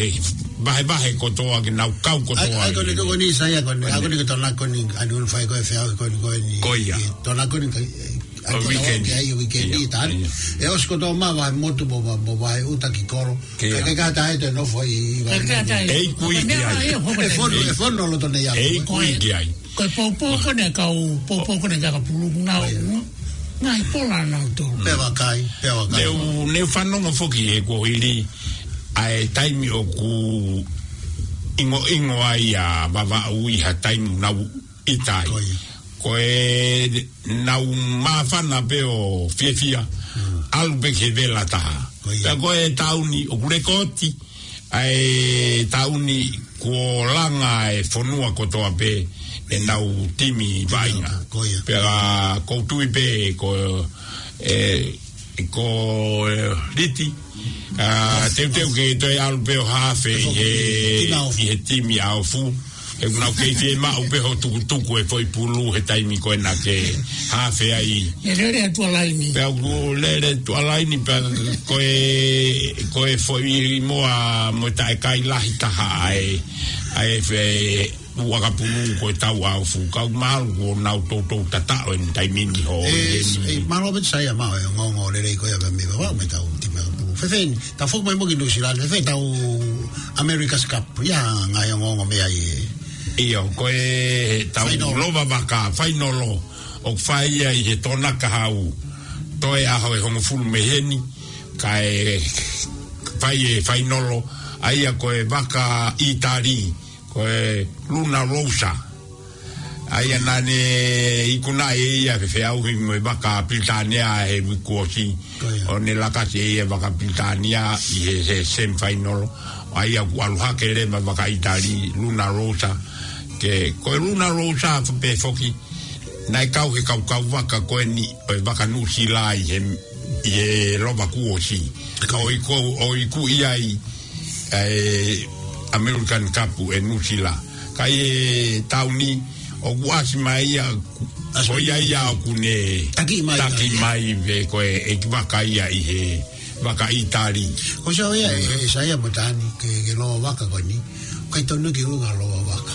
vahevahe kotoa, ke nau kau kotoa. ʻAi, ʻai ko eni, ko eni Saia ko eni, ʻai ko eni ke tona ko eni, ʻa eni ʻoku fai ko e feau ko eni, ko eni. Ko ia. Tona ko eni ka, ʻe, ʻa ko e weekend. Ke ʻai weekend ʻIo, ʻi taʻani. ʻIo. ʻE ʻosi kotoa mai vahe motu mo, mo, mo vahe ʻuta ki kolo. Ke Ka, ka, ka tae te nofo ʻi, ʻi, Ka, ka, ka, ʻe ʻi kui Ka, ki ai. ʻe, ʻe, ʻe, ʻe, fonu, ʻe fonu loto nei ʻa ʻe ʻi kui ki ai. Ko e poupou ko ē ʻa e kau, poupou ko ē ʻa e kau pulu nau, ʻIo. ngaahi pola nau tō. Pea vakai, pea vakai. Neu, neu fanongo foki he kuo hili ʻa e taimi ʻoku ʻingoʻingo ai ʻa Vavaʻu ʻi ha taimi nau ʻita ai. Ko ia. Ko e nau māfana pē ʻo fiefia, Mm. ʻalu pē ki he vela taha. Ko ia. Pea ko e taʻu ni ʻoku lekooti, ʻa e taʻu ni kuo langa e fonua kotoa pē ʻenau timi vaʻinga. Ko ia. Pea ʻoku ou tui pē ko, ʻe, ko, ʻe, Liti, ʻa, teuteu ke toe ʻalu pē ʻo hafe ʻi he, ʻi he timi ʻa Ofu. He ʻoku nau kei fiemaʻu pē hoʻo tukutuku e foʻi pulu he taimi ko ena ke hafe ai. ʻE lele atu ʻa laini. Pea ʻoku lele atu ʻa laini pea ko e, ko e foʻi moa mo e taʻekai lahi taha ʻa e, ʻa e fe-, ʻakapulu ko e tau ʻa Ofu. Ka ʻoku mahalo kuo nau toutou tataʻo ʻeni taimi ni ho ʻE, ʻeni. ʻE, mālō pē Saia maʻu e ongoongo lelei ko ia pea mei Vavaʻu mo e tau timi ʻakapulu. Fēfē eni, tau foki mai mo ki Nuʻusila ni, fēfē tau America's Cup, ʻi ai ha ngaahi ongoongo mei ai ʻe? ʻIo, ko e tau Fainolo. Lova Vaka, fainolo, ʻoku fai ia ʻi he Tonakahau, toe ʻaho ʻe hongofulu mei heni, kae fai e fainolo, ʻa ia ko e vaka ʻĪtali, ko e Luna Rossa. ʻA ia naʻa ne ikunaʻi ʻe ia ʻa e feʻauhi mo e vaka Pilitānia he uike kuo ʻosi. Ko ia. ʻO ne lakasi ʻe ia e vaka Pilitānia ʻi he, he semifinal. ʻA ia kuo ʻalu hake leva e vaka ʻĪtali, Luna Rossa. Ke, ko e Luna Rossa pē foki, naʻe kau he kaukau vaka ko eni ʻo e vaka Nuʻusila ʻi he, ʻi he lova kuo ʻosi. Ka ʻoku ʻiku, ʻoku ʻiku ʻi ai ʻa e American Cup ʻe Nuʻusila. Ka ʻi he taʻu ni, ʻoku ʻasi mai ia Ko ia ia ʻoku ne taki mai, taki mai pē ko e ʻeikivaka ia ʻi he vaka ʻĪtali. Ko e sio ia, ʻe, ʻe Saia mo Tani, ki he, ki he lōvaka ko eni. ʻIkai totonu ke ui ko e lōvaka.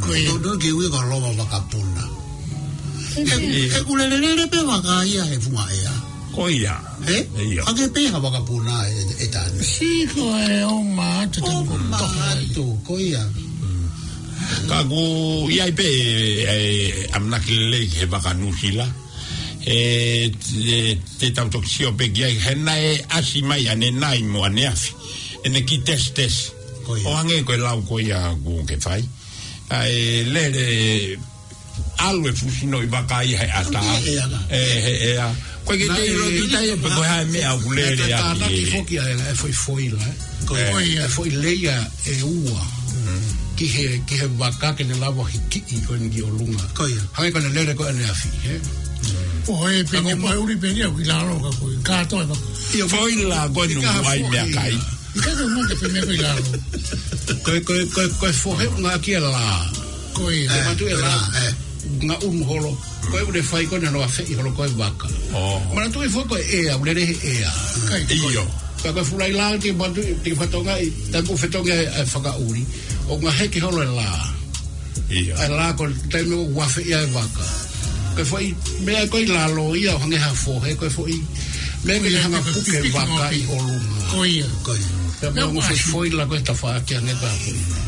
Ko ia. Totonu ke ui ko e lōvaka puna. He, he ʻoku lelelele pē vaka ia he funga ʻea. Ko ia. He? Ia. Hangē pē ha vaka puna ē, ē Tani. Sio ko e ʻomai atu, ʻomai atu, ko ia. Ka ʻoku ʻi ai pē, ʻe, ʻamanaki lelei he vaka Nuʻusila. ʻE, ʻe, te tau toki sio pē ki ai, he naʻe ʻasi mai ʻanenai mo ʻaneafi. ʻEne kiʻi tesitesi. Ko ia. ʻO hangē ko e lau ko ia ʻoku ke fai. ʻA e lele ʻalu e fuʻu sino ʻi vaka ia he ʻatā. ʻAlu he ʻea. ʻE, he ʻea. Ko e ke te ilo ki tai pe ko e hā e meʻa ʻoku lele ʻaki. Tānaki foki ʻa e, ʻa e foʻi foila, ē. Ko ia. ʻA e foʻi leia ʻe ua. Ki he, ki he vaka ke ne lava hikiʻi ko eni ki ʻolunga. Ko ia. Hangē ko ʻene lele ko ʻaneafi, ē. ʻO e pene, ko e ʻuli pē ia ʻoku ʻi lalo ka ko e kātoa e vaka. Foila ko eni ʻoku ʻai meʻakai. ʻIkai ke ʻuhinga ke pehē ko ʻi lalo. Ko e, ko e, ko e, ko e fohe ʻunga ki he lā. Ko ia. Ke matu e lā. Ē, ē. Ngaʻunu holo. Ko e ʻuhinga fai ko ena ʻo afeʻi holo ko e vaka. ʻO. Manatuʻi foki ko e ʻea, ʻoku lele he ʻea. ʻIkai. ʻIo. Ka ko e fuʻu lahi lā ke matu, ke fatongia ʻi, taku fetongi ʻa e, ʻa e fakaʻuli. ʻO ngā heke holo e lā. ʻIo. ʻA e lā ko e taimi ʻoku afeʻi ai e vaka. Ko e foʻi meʻa ko ē ʻi lalo ia ʻo hangē ha fohe, ko e foʻi meʻa ke hanga ʻo puke e vaka ʻi ʻolunga. Ko ia. Ko ia. Pea mo e ongo foʻi foila ko e tafaʻaki hangē ko ia.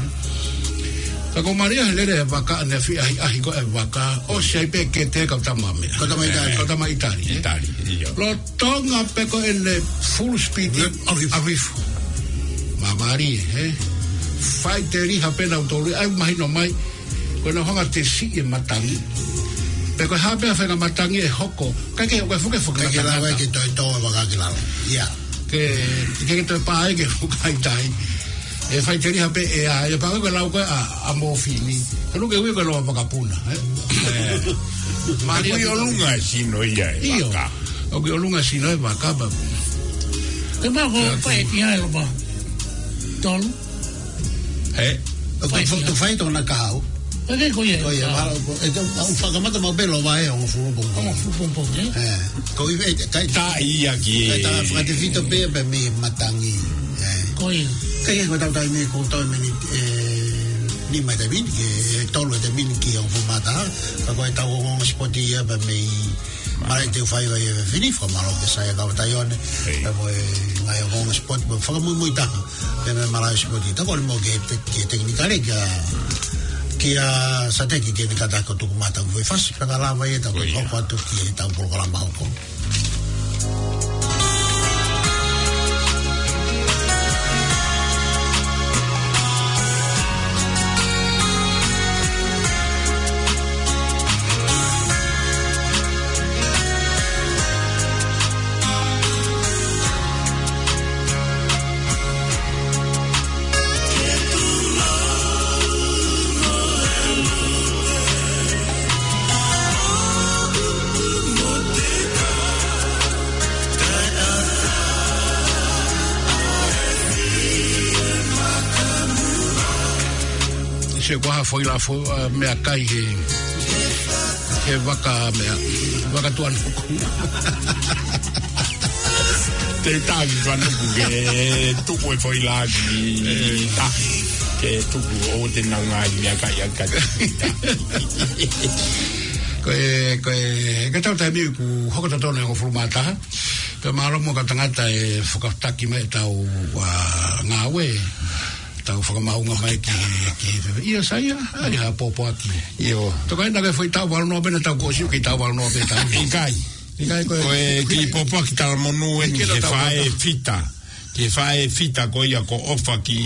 Ka ko Maria he lele e vaka ʻaneafi ʻahiʻahi ko e vaka, ʻosi ai pē kete kau tama meʻa. Kau tama ʻItali. Kau tama ʻItali, ē? ʻItali, ʻio. Lolotonga pē ko ʻene full speed. ʻAlu hifo. ʻAlu hifo. Māmālie, ē? Faʻiteliha pē nautolu, ʻai mahino mai, ko ʻenau hanga ʻo tesiʻi e matangi. Pe ko e hā pē ha faʻahinga matangi ʻe hoko. ʻIkai ke, ʻikai ke fuke fuke. ʻIkai ke lava ke toe tō e vaka ki lalo. ʻIa. Ke, ke, ke toe pā ai ke fuka ʻi tai. ʻE faʻiteliha pē ʻea, ʻe pā ko e lau ko ē ʻa, ʻa Mōfini. Ka ʻoku ke ui ko e lōvaka puna, ē? ʻE. Mālie ʻoku ʻi ʻolunga e sino ia e vaka. ʻIo. ʻOku ʻi ʻolunga e sino e vaka, pea. Ke mā ko e fai ki ai lopa. Tolu. He? ʻOku fai, fai, fai tōna kahaʻu. Ko ia, ko ia, mālō, ko, ʻe tau, ʻoku fakamata maʻu pē lōvaka ʻe hongofulu pongipongi. Hongofulu pongipongi, ē? ʻE, ko ia, ʻe, ʻikai. Tā ia ki he. ʻIkai tā, fakatefito pē, pē mei matangi. ʻE. Ko ia. ʻIkai ke ko ʻetau taimi ko ʻetau miniti, ʻe, nima ʻi he miniti, ʻe, tolu ʻi he miniti ki hongofulu mā taha, ka ko ʻetau ongoongo sipoti ia pē mei Mālō e te u fai ʻo e fefine, fakamālō ki he Saia Kavataione, ʻio, pea mo e ngaahi ongoongo sipoti, mo e fakamuimuitaha, pea mo e malaʻe sipoti. Tau kole mo ke te-, ki he tekinikale, kia, kia Sateki ke ne kātaki ʻo tuku mata ʻo e fasi, pea ka lava ia tau, ʻio, hoko atu ki heʻetau polokalama hoko. Se ko ha foʻi la fo-, ʻa, meʻakai he, he vaka meʻa, vaka tuʻa nuku. Te tavi tuʻa nuku ke tuku e foʻi la ki, ʻe, ta, ke tuku ʻo te nau ngaahi meʻakai ʻa ka. Ko e, ko e, ka tau taimi ʻoku hoko totonu e hongofulu mā taha. Pea mālō muʻa kau tangata ʻe fakataki mai ʻetau, ʻa, ngāue. Tau fakamaʻunga mai ki, ki, ʻio Saia, ʻai ha pōpoaki. ʻIo. Toka ina ke foʻi taʻu valu noa pē naʻa tau kuo ʻosi ʻoku kei taʻu valu noa pē taʻu. ʻIkai. ʻIkai ko e. Ko e kiʻi pōpoaki talamonū eni ki he faʻē fita. Ki he faʻē fita ko ia ko ʻOfaki,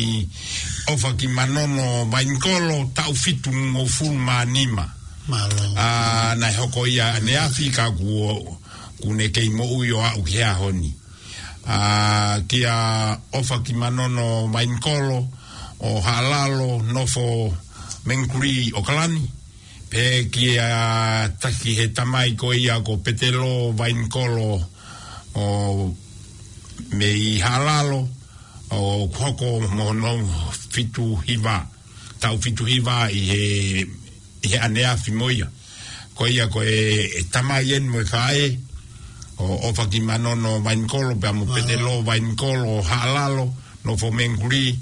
ʻOfaki Manono Mainikolo taʻu fitungofulu mā nima. Mālō. ʻA, naʻe hoko ia ʻaneafi ka kuo, kuo ne kei moʻui ʻo aʻu ki he ʻaho ni. ʻA, kia ʻOfaki Manono Mainikolo, ʻo Haʻalalo, nofo Mengkuli ʻAokalani. Pea kia taki he tamai ko ia ko Petelo Mainikolo, ʻo mei Haʻalalo, ʻo hoko mo hono fitu hiva, taʻu fitu hiva ʻi he, ʻi he ʻaneafi mo ia. Ko ia ko e, e tamai eni mo e faʻē, ʻo, ʻo ʻOfa ki Manono Vainikolo, pea mo Petelo Vainikolo, ʻo Haʻalalo, nofo Menguli,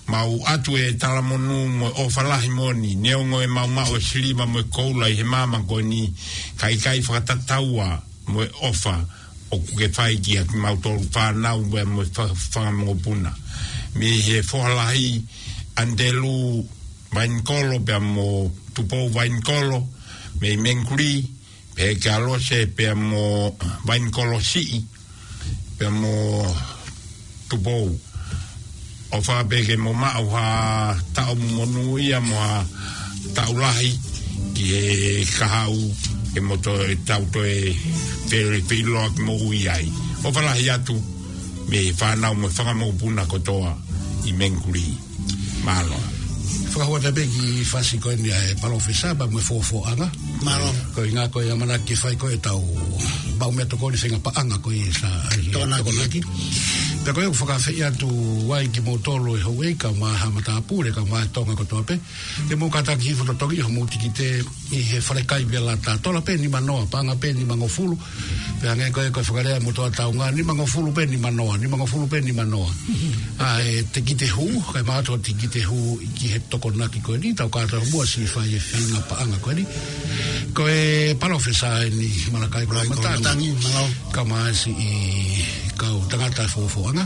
mau ʻatu e talamonū mo e ʻofa lahi moʻoni, neongo ʻemau maʻu e siliva mo e koula ʻi he maama ko eni, ka ʻikai fakatataua mo e ʻofa ʻoku ke fai kia kimautolu fānau pea mo e fa-, fanga mokopuna. Mei he foha lahi ʻAnitelū Vainikolo pea mo Tupou Vainikolo, mei Menguli, pea kia Lose pea mo Vainikolo Siʻi, pea mo Tupou. ʻOfa pē ke mo maʻu ha taʻu monūʻia mo ha taʻu lahi ki he kahaʻu ke mo toe tau toe fele feiloa ki mo ui ai. ʻOfa lahi atu mei he fānau mo e fanga mokopuna kotoa ʻi Menguli. Mālō. Fakahua atu pē ki he fasi ko eni ʻa e palōfesa pea mo e Fofoʻanga. Mālō. Ko e ʻuhinga ko e ʻamanaki ke fai ko ē ʻetau maʻu meʻatokoni feinga paʻanga ko ē sa ʻi he Tokonaki. Tokonaki. Pea ko ia ʻoku fakaafeʻi atu ai kimoutolu e houʻeiki kae ʻumaʻā ha matāpule kae ʻumaʻā e Tonga kotoa pē. Ke mou kātaki hifo totongi homou tikite ʻi he falekai Vela Tatola pē nimanoa, paʻanga pē nimangofulu. Pea hangē ko e, ko e fakalea ʻa e motuʻa taunga, nimangofulu pē nimanoa, nimangofulu pē nimanoa. ʻA e tikite hū, kae ʻumaʻā ʻa e tikite hū ki he Tokonaki ko eni, tau kātoa muʻa siʻi fai e feinga paʻanga ko eni. Ko e palōfesa eni Malakai Koloamatangi. Koloamatangi, mālō. Kae ʻumaʻā siʻi kau tangata Fofoʻanga.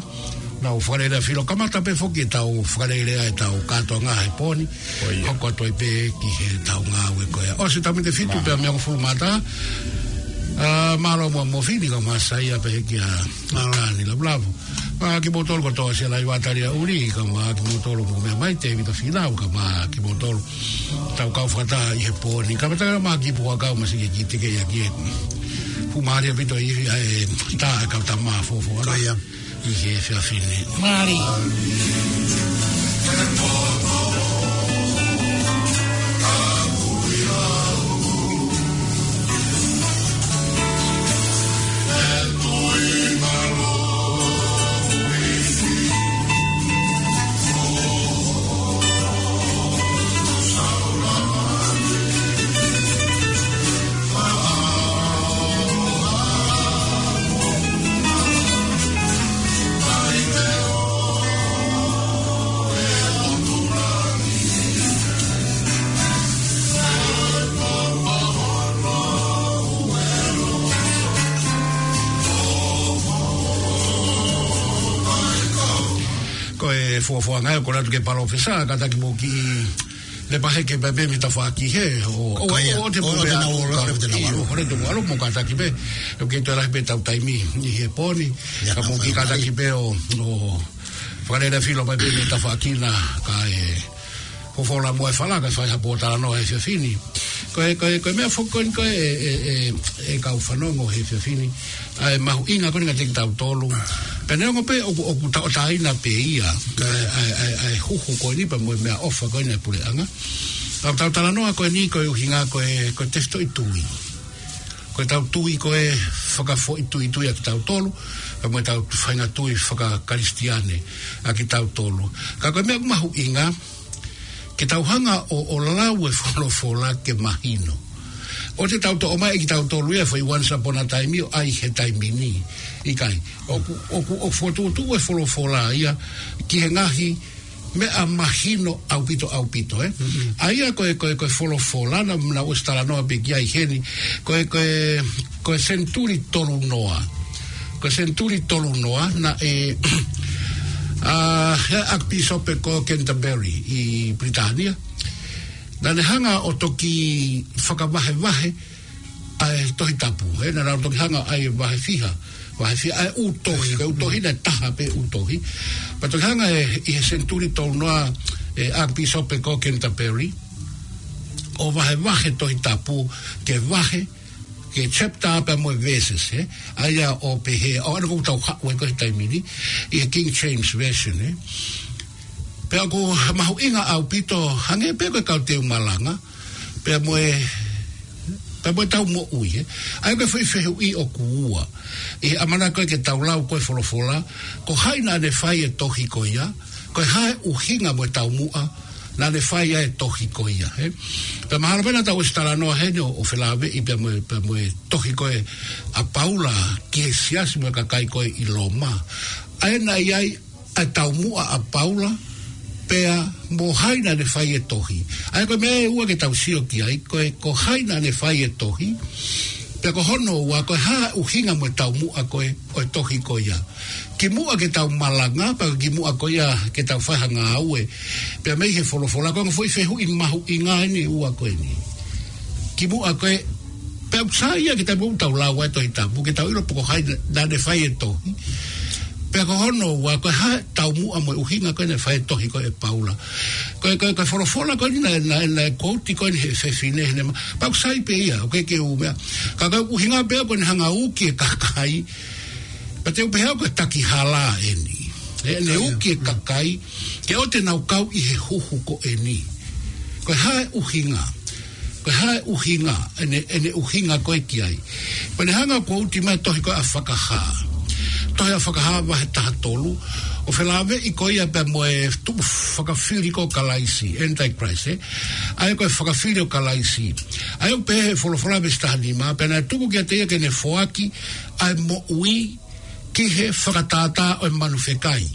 Nau fakalele filo kamata pē foki ʻetau fakalele ʻetau kātoanga he pō ni. Ko ia. Hoko atu ai pē ki heʻetau ngāue ko ia. ʻOsi e taimi ʻe fitu pea mei he hongofulu mā taha. ʻA, mālō muʻa Mofini kae ʻumaʻā Saia pea kia Mālō. Kani Lavulavu. ʻA, kimoutolu kotoa Sialaiva Taliaʻuli kae ʻumaʻā kimoutolu mou meʻa mai Tēvita Finau kae ʻumaʻā kimoutolu. Tau kau fakataha ʻi he pō ni. Kae ʻumaʻā Makipu Huʻakau, masiʻi ke teke ia ki he fuʻu mālie ʻaupito ʻi he, ʻa e tā e kau tama Fofoʻanga. Ko ia. ʻI he efiafi ni. Mālō. Ko e Fofoʻanga ē, ko ʻeku ʻoatu ki he palōfesa, kātaki mo kiʻi lepa hake pē mei he tafaʻaki hē, ʻo, ʻo, ʻo, ʻo te pule ʻo, ʻo, ʻo, ʻo, ʻo, mo kātaki pē, ʻoku kei toe lahi pē ʻetau taimi ʻi he pō ni, ka mo kiʻi kātaki pē ʻo, ʻo fakalele filo mai pē mei he tafaʻaki na, kae folofola muʻa e fala, kae fai ha pōtalanoa he efiafi ni. Ko e, ko e, ko e meʻa foki ko eni ko e, e, e, e kau fanongo he efiafi ni. ʻA e mahuʻinga ko eni kiate kitautolu. Pea neongo pē ʻoku, ʻoku tauʻatāina pē ia. ʻA e, ʻa e, ʻa e, ʻa e huhu ko eni pea mo e meʻaʻofa ko eni ʻa e puleʻanga. Ka tau talanoa ko eni ko e ʻuhinga ko e, ko e tefitoʻi tui. Ko ʻetau tui ko e fakafoʻituitui ʻa kitautolu, pea mo ʻetau faʻahinga tui fakakalisitiane ʻa kitautolu. Ka ko e meʻa ʻoku mahuʻinga, ke tau hanga ʻo, ʻo lau e folofola ke mahino. ʻOua te tau toʻo mai ʻe kitautolu ia foʻi once upon a time ʻo ʻai he taimi ni. ʻIkai. ʻOku, ʻoku, ʻoku fokotuʻutuʻu e folofola ia ki he ngaahi meʻa mahino ʻaupito, ʻaupito, ē? Mm-hmm. ʻA ia ko e, ko e, ko e folofola naʻa, naʻa ku ʻosi talanoa pē ki ai heni. Ko e, ko e, ko e senituli tolunoa. Ko e senituli tolunoa naʻe, ʻa, he ʻAkipīsope ko Canterbury ʻi Pilitānia. Naʻa ne hanga ʻo toki fakavahevahe ʻa e Tohi Tapu, ē, naʻa nau toki hanga ʻo ʻai e vahe fiha, vahe fiha, ʻa e ʻū tohi, ko e ʻū tohi naʻe taha pē ʻū tohi. Pea toki hanga ē, ʻi he senituli tolunoa, ʻe ʻAkipīsope ko Canterbury, ʻo vahevahe Tohi Tapu ke vahe, ke chapter pea mo e verses, ē. ʻA ia ʻo pehē, ʻo ʻalu ko ʻetau haʻu ai ko e taimi ni, ʻi he King James Version, ē. Pea ʻoku mahuʻinga ʻaupito, hangē pē ko e kau teu malanga, pea mo e, pea mo ʻetau moʻui, ē. ʻA ia ko e foʻi fehuʻi ʻoku ua. ʻI he ʻamanaki ko ē ke tau lau ko e folofola, ko hai naʻa ne fai e tohi ko ia, ko e hā e ʻuhinga mo e taumuʻa, Naʻa ne fai ai e tohi ko ia, ē. Pea mahalo pē naʻa tau ʻosi talanoa heni ʻo, ʻo felāveʻi pea mo e, pea mo e tohi ko ē ʻa Paula ki he siasi mo e kakai ko ē ʻi Loma. ʻA ia naʻe ʻi ai ʻa e taumuʻa ʻa Paula, pea mo hai naʻa ne fai e tohi. ʻA ia ko e meʻa ʻe ua ke tau sio ki ai, ko e, ko hai naʻa ne fai e tohi. Pea ko hono ua, ko e hā e ʻuhinga mo e taumuʻa ko ē ʻo e tohi ko ia. Kimuʻa ke tau malanga, pea kimuʻa ko ia ke tau fai ha ngāue. Pea mei he folofola, ko e ongo foʻi fehuʻi mahuʻinga eni ʻe ua ko eni. Kimuʻa ko ē, pea ʻoku sai ia ke tau, tau lau ʻa e Tohi Tapu, ke tau ʻilo pe ko hai naʻa ne fai e tohi. Pea ko hono ua, ko e hā e taumuʻa mo e ʻuhinga ko ē naʻe fai e tohi ko ē ʻe Paula. Ko e, ko e, ko e folofola ko eni naʻe, naʻe, naʻe quote ko eni he fefine, he ne ma-, pea ʻoku sai pē ia, ʻoku ʻikai ke u meʻa. Ka ko e ʻuhinga pē ko ʻene hanga ʻo uki e kakai, pea te u pehē au ko e taki hala eni. ʻE, ne uki e kakai, ke ʻoua te nau kau ʻi he huhu ko eni. Ko e hā e ʻuhinga. Ko e hā e ʻuhinga, ʻene, ʻene ʻuhinga ko ē ki ai. Pea ne hanga ʻo quote mai e tohi ko ē ʻa Fakahā. Tohi ʻa Fakahā vahe taha tolu, ʻo felāveʻi ko ia pea mo e tuʻu fakafili ko Kalaisi, Antichrist, ē. ʻA ia ko e fakafili ʻo Kalaisi. ʻA ia ʻoku pehē he folofola veesi taha nima, pea naʻe tuku kiate ia ke ne foaki ʻa e moʻui ki he fakatātā ʻo e manu fekai.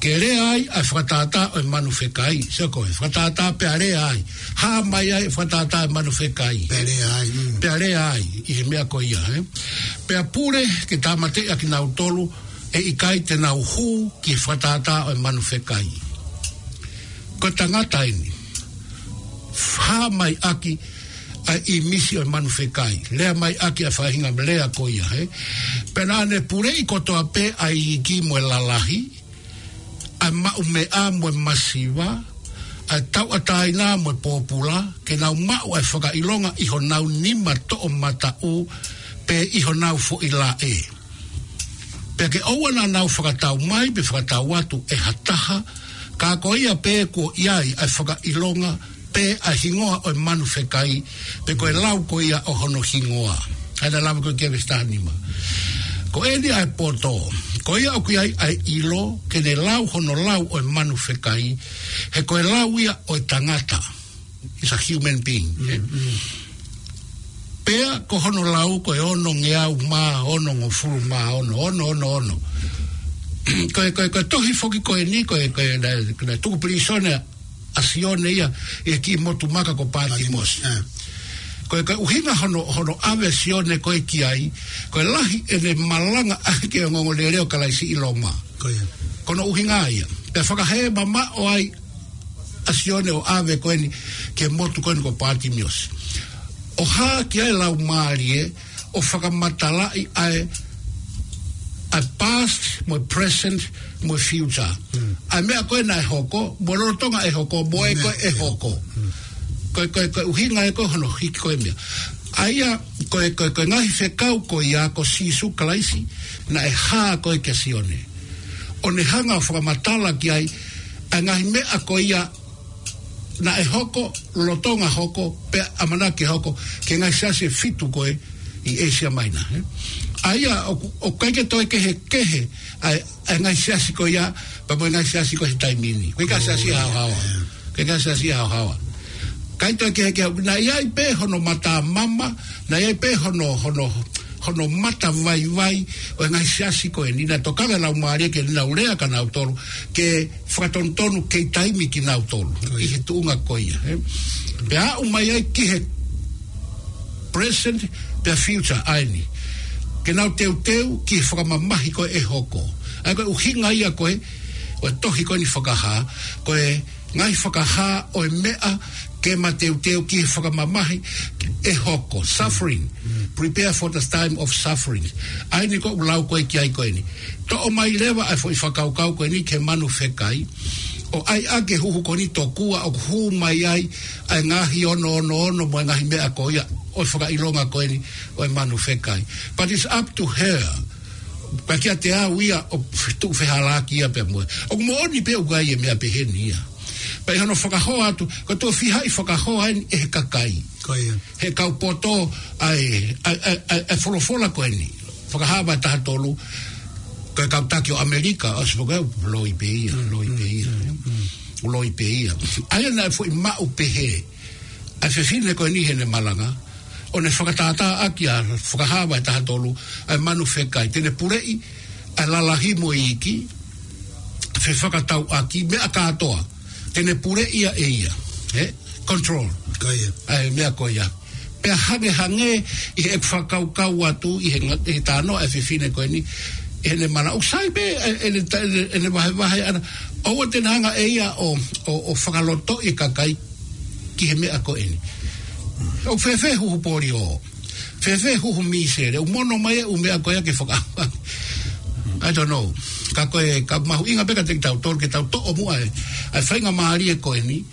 Ke lea ai ʻa e fakatātā ʻo e manu fekai. Sio ko e fakatātā pea lea ai. Hā mai ai e fakatātā ʻo e manu fekai. Pea lea ai, mm. Pea lea ai, ʻi he meʻa ko ia, ē. Pea pule ke tāmateʻi ʻa kinautolu ʻe ʻikai te nau hū ki he fakatātā ʻo e manu fekai. Ko e tangata eni. Hā mai ʻaki ʻa e ʻīmisi ʻo e manu fekai. Lea mai ʻaki ʻa e faʻahinga lea ko ia, ē. Pea naʻa ne puleʻi kotoa pē ʻa e iiki mo e lalahi, ʻa e maʻumeʻa mo e masiva, ʻa e tauʻatāina mo e pōpula, ke nau maʻu ʻa e fakaʻilonga ʻi honau nima toʻomataʻu, pe ʻi honau foʻi laʻe. Pea ke ʻoua naʻa nau fakatau mai, pe fakatau atu ʻe ha taha, ka ko ia pē kuo ʻi ai ʻa e fakaʻilonga, pe ʻa e hingoa ʻo e manu fekai, pe ko e lau ko ia ʻo hono hingoa. ʻA ia naʻe lave ko ē ki he veesi taha nima. Ko eni ʻa e poto, ko ia ʻoku ʻi ai ʻa e ʻilo, ke ne lau hono lau ʻo e manu fekai, he ko e lau ia ʻo e tangata. Is a human being. Mm, mm. Pea ko hono lau ko e onongeau mā onongofulu mā ono, ono, ono, ono. Ko e, ko e, ko e tohi foki ko eni, ko e, ko e, naʻe, naʻe tuku pilīsone ʻa Sione ia ʻi he kiʻi motu maka ko Pātimosi. Pātimosi, ē. Ko e, ko e ʻuhinga hono, hono ʻave ʻa Sione ko ē ki ai, ko e lahi ʻene malanga ʻaki e ongoongolelei ʻo Kalaisi ʻi Loma. Ko ia. Ko hono ʻuhinga ia. Pea fakahē mamaʻo ai ʻa Sione ʻo ʻave ko eni ki he motu ko eni ko Pātimosi. ʻO hā ki ai e Laumālie, ʻo fakamatalaʻi ʻa e, ʻa e past, mo e present, mo e future. Mm. ʻA e meʻa ko ē naʻe hoko, mo e lolotonga ʻe hoko, mo e ko ē ʻe hoko. Mm. Ko e, ko e, ko e ʻuhinga ē ko ē hono hiki ko ē meʻa. ʻA ia, ko e, ko e, ko e ngaahi fekau ko ia ko Sīsū Kalaisi, naʻe hā ko ē kia Sione. ʻO ne hanga ʻo fakamatala ki ai, ʻa e ngaahi meʻa ko ia naʻe hoko, lolotonga hoko, pea ʻamanaki hoko, ki he ngaahi siasi ʻe fitu ko ē ʻi ʻĒsia Maina, ē? ʻA ia, ʻoku, ʻoku ʻikai ke toe kehekehe ʻa e, ʻa e ngaahi siasi ko ia, pea mo e ngaahi siasi ko ē he taimi ni. ʻOku ʻikai siasi haohaoa. ʻOku ʻikai siasi haohaoa. ʻIkai toe kehekehe, naʻe ʻi ai pē hono mata mama, naʻe ʻi ai pē hono, hono, hono mata vaivai ʻo e ngaahi siasi ko eni, naʻe tokanga e Laumālie ke nau lea kia nautolu, ke fakatonutonu kei taimi kinautolu ʻi he tuʻunga ko ia, ē? Pea aʻu mai ai ki he present, pea future ʻa eni. Ke nau teuteu ki he fakamamahi ko ē ʻe hoko. ʻA ia ko e ʻuhinga ia ko ē ʻo e tohi ko eni Fakahā, ko e ngaahi fakahā ʻo e meʻa ke mateuteu ki he fakamamahi ʻe hoko, suffering. Mm. Prepare for the time of suffering. ʻA eni ko ʻeku lau ko ē ki ai ko eni. Toʻo mai leva ʻa e foʻi fakakaukau ko eni ki he manu fekai. ʻO ʻai ʻa e huhu ko eni tokua ʻoku hū mai ai ʻa e ngaahi ono ono ono mo e ngaahi meʻa ko ia ʻo e fakaʻilonga ko eni ʻo e manu fekai. But it's up to her. Ka kiate au ia ʻoku tuʻu fehālaaki ia pea mo e. ʻOku moʻoni pē ʻoku ʻi ai e meʻa pehē ni ia. Pea ʻi hono fakahoa atu, ko e tuʻo fiha ʻi fakahoa eni ʻe he kakai. Ko ia. He kau poto ʻa e, ʻa e, ʻa e, ʻa e, ʻa e folofola ko eni. Fakahā vahe taha tolu, ko e kau taki ʻo ʻAmelika, ʻosi foki ʻo loi pē ia, loi pē ia. Mm, mm, mm. loi pē ia. ʻA ia naʻe foʻi maʻu pehē ʻa e fefine ko eni heʻene malanga, ʻo ne fakatātā ʻaki ʻa e Fakahā vahe taha tolu, ʻa e manu fekai. Te ne puleʻi ʻa e lalahi mo e iiki, fefakatauʻaki, meʻa kātoa. Te ne puleʻi ia ʻe ia. Ē? Control. Ko ia. ʻA e meʻa ko ia. Pea hangehangē ʻi heʻeku fakakaukau atu ʻi he nga-, ʻi he talanoa ʻa e fefine ko eni, ʻi heʻene malanga, ʻoku sai pē, ʻe, ʻene ta-, ʻene, ʻene vahevahe ʻana, ʻoua te ne hanga ʻe ia ʻo, ʻo, ʻo fakalotoʻi e kakai ki he meʻa ko eni. ʻOku fēfē huhu polio? Fēfē huhu mīsele? ʻOku mono mai e ʻū meʻa ko ia ke faka-, I don't know. Ka ko e, ka mahuʻinga pē kiate kitautolu ke tau toʻo muʻa e, ʻa e faingamālie ko eni,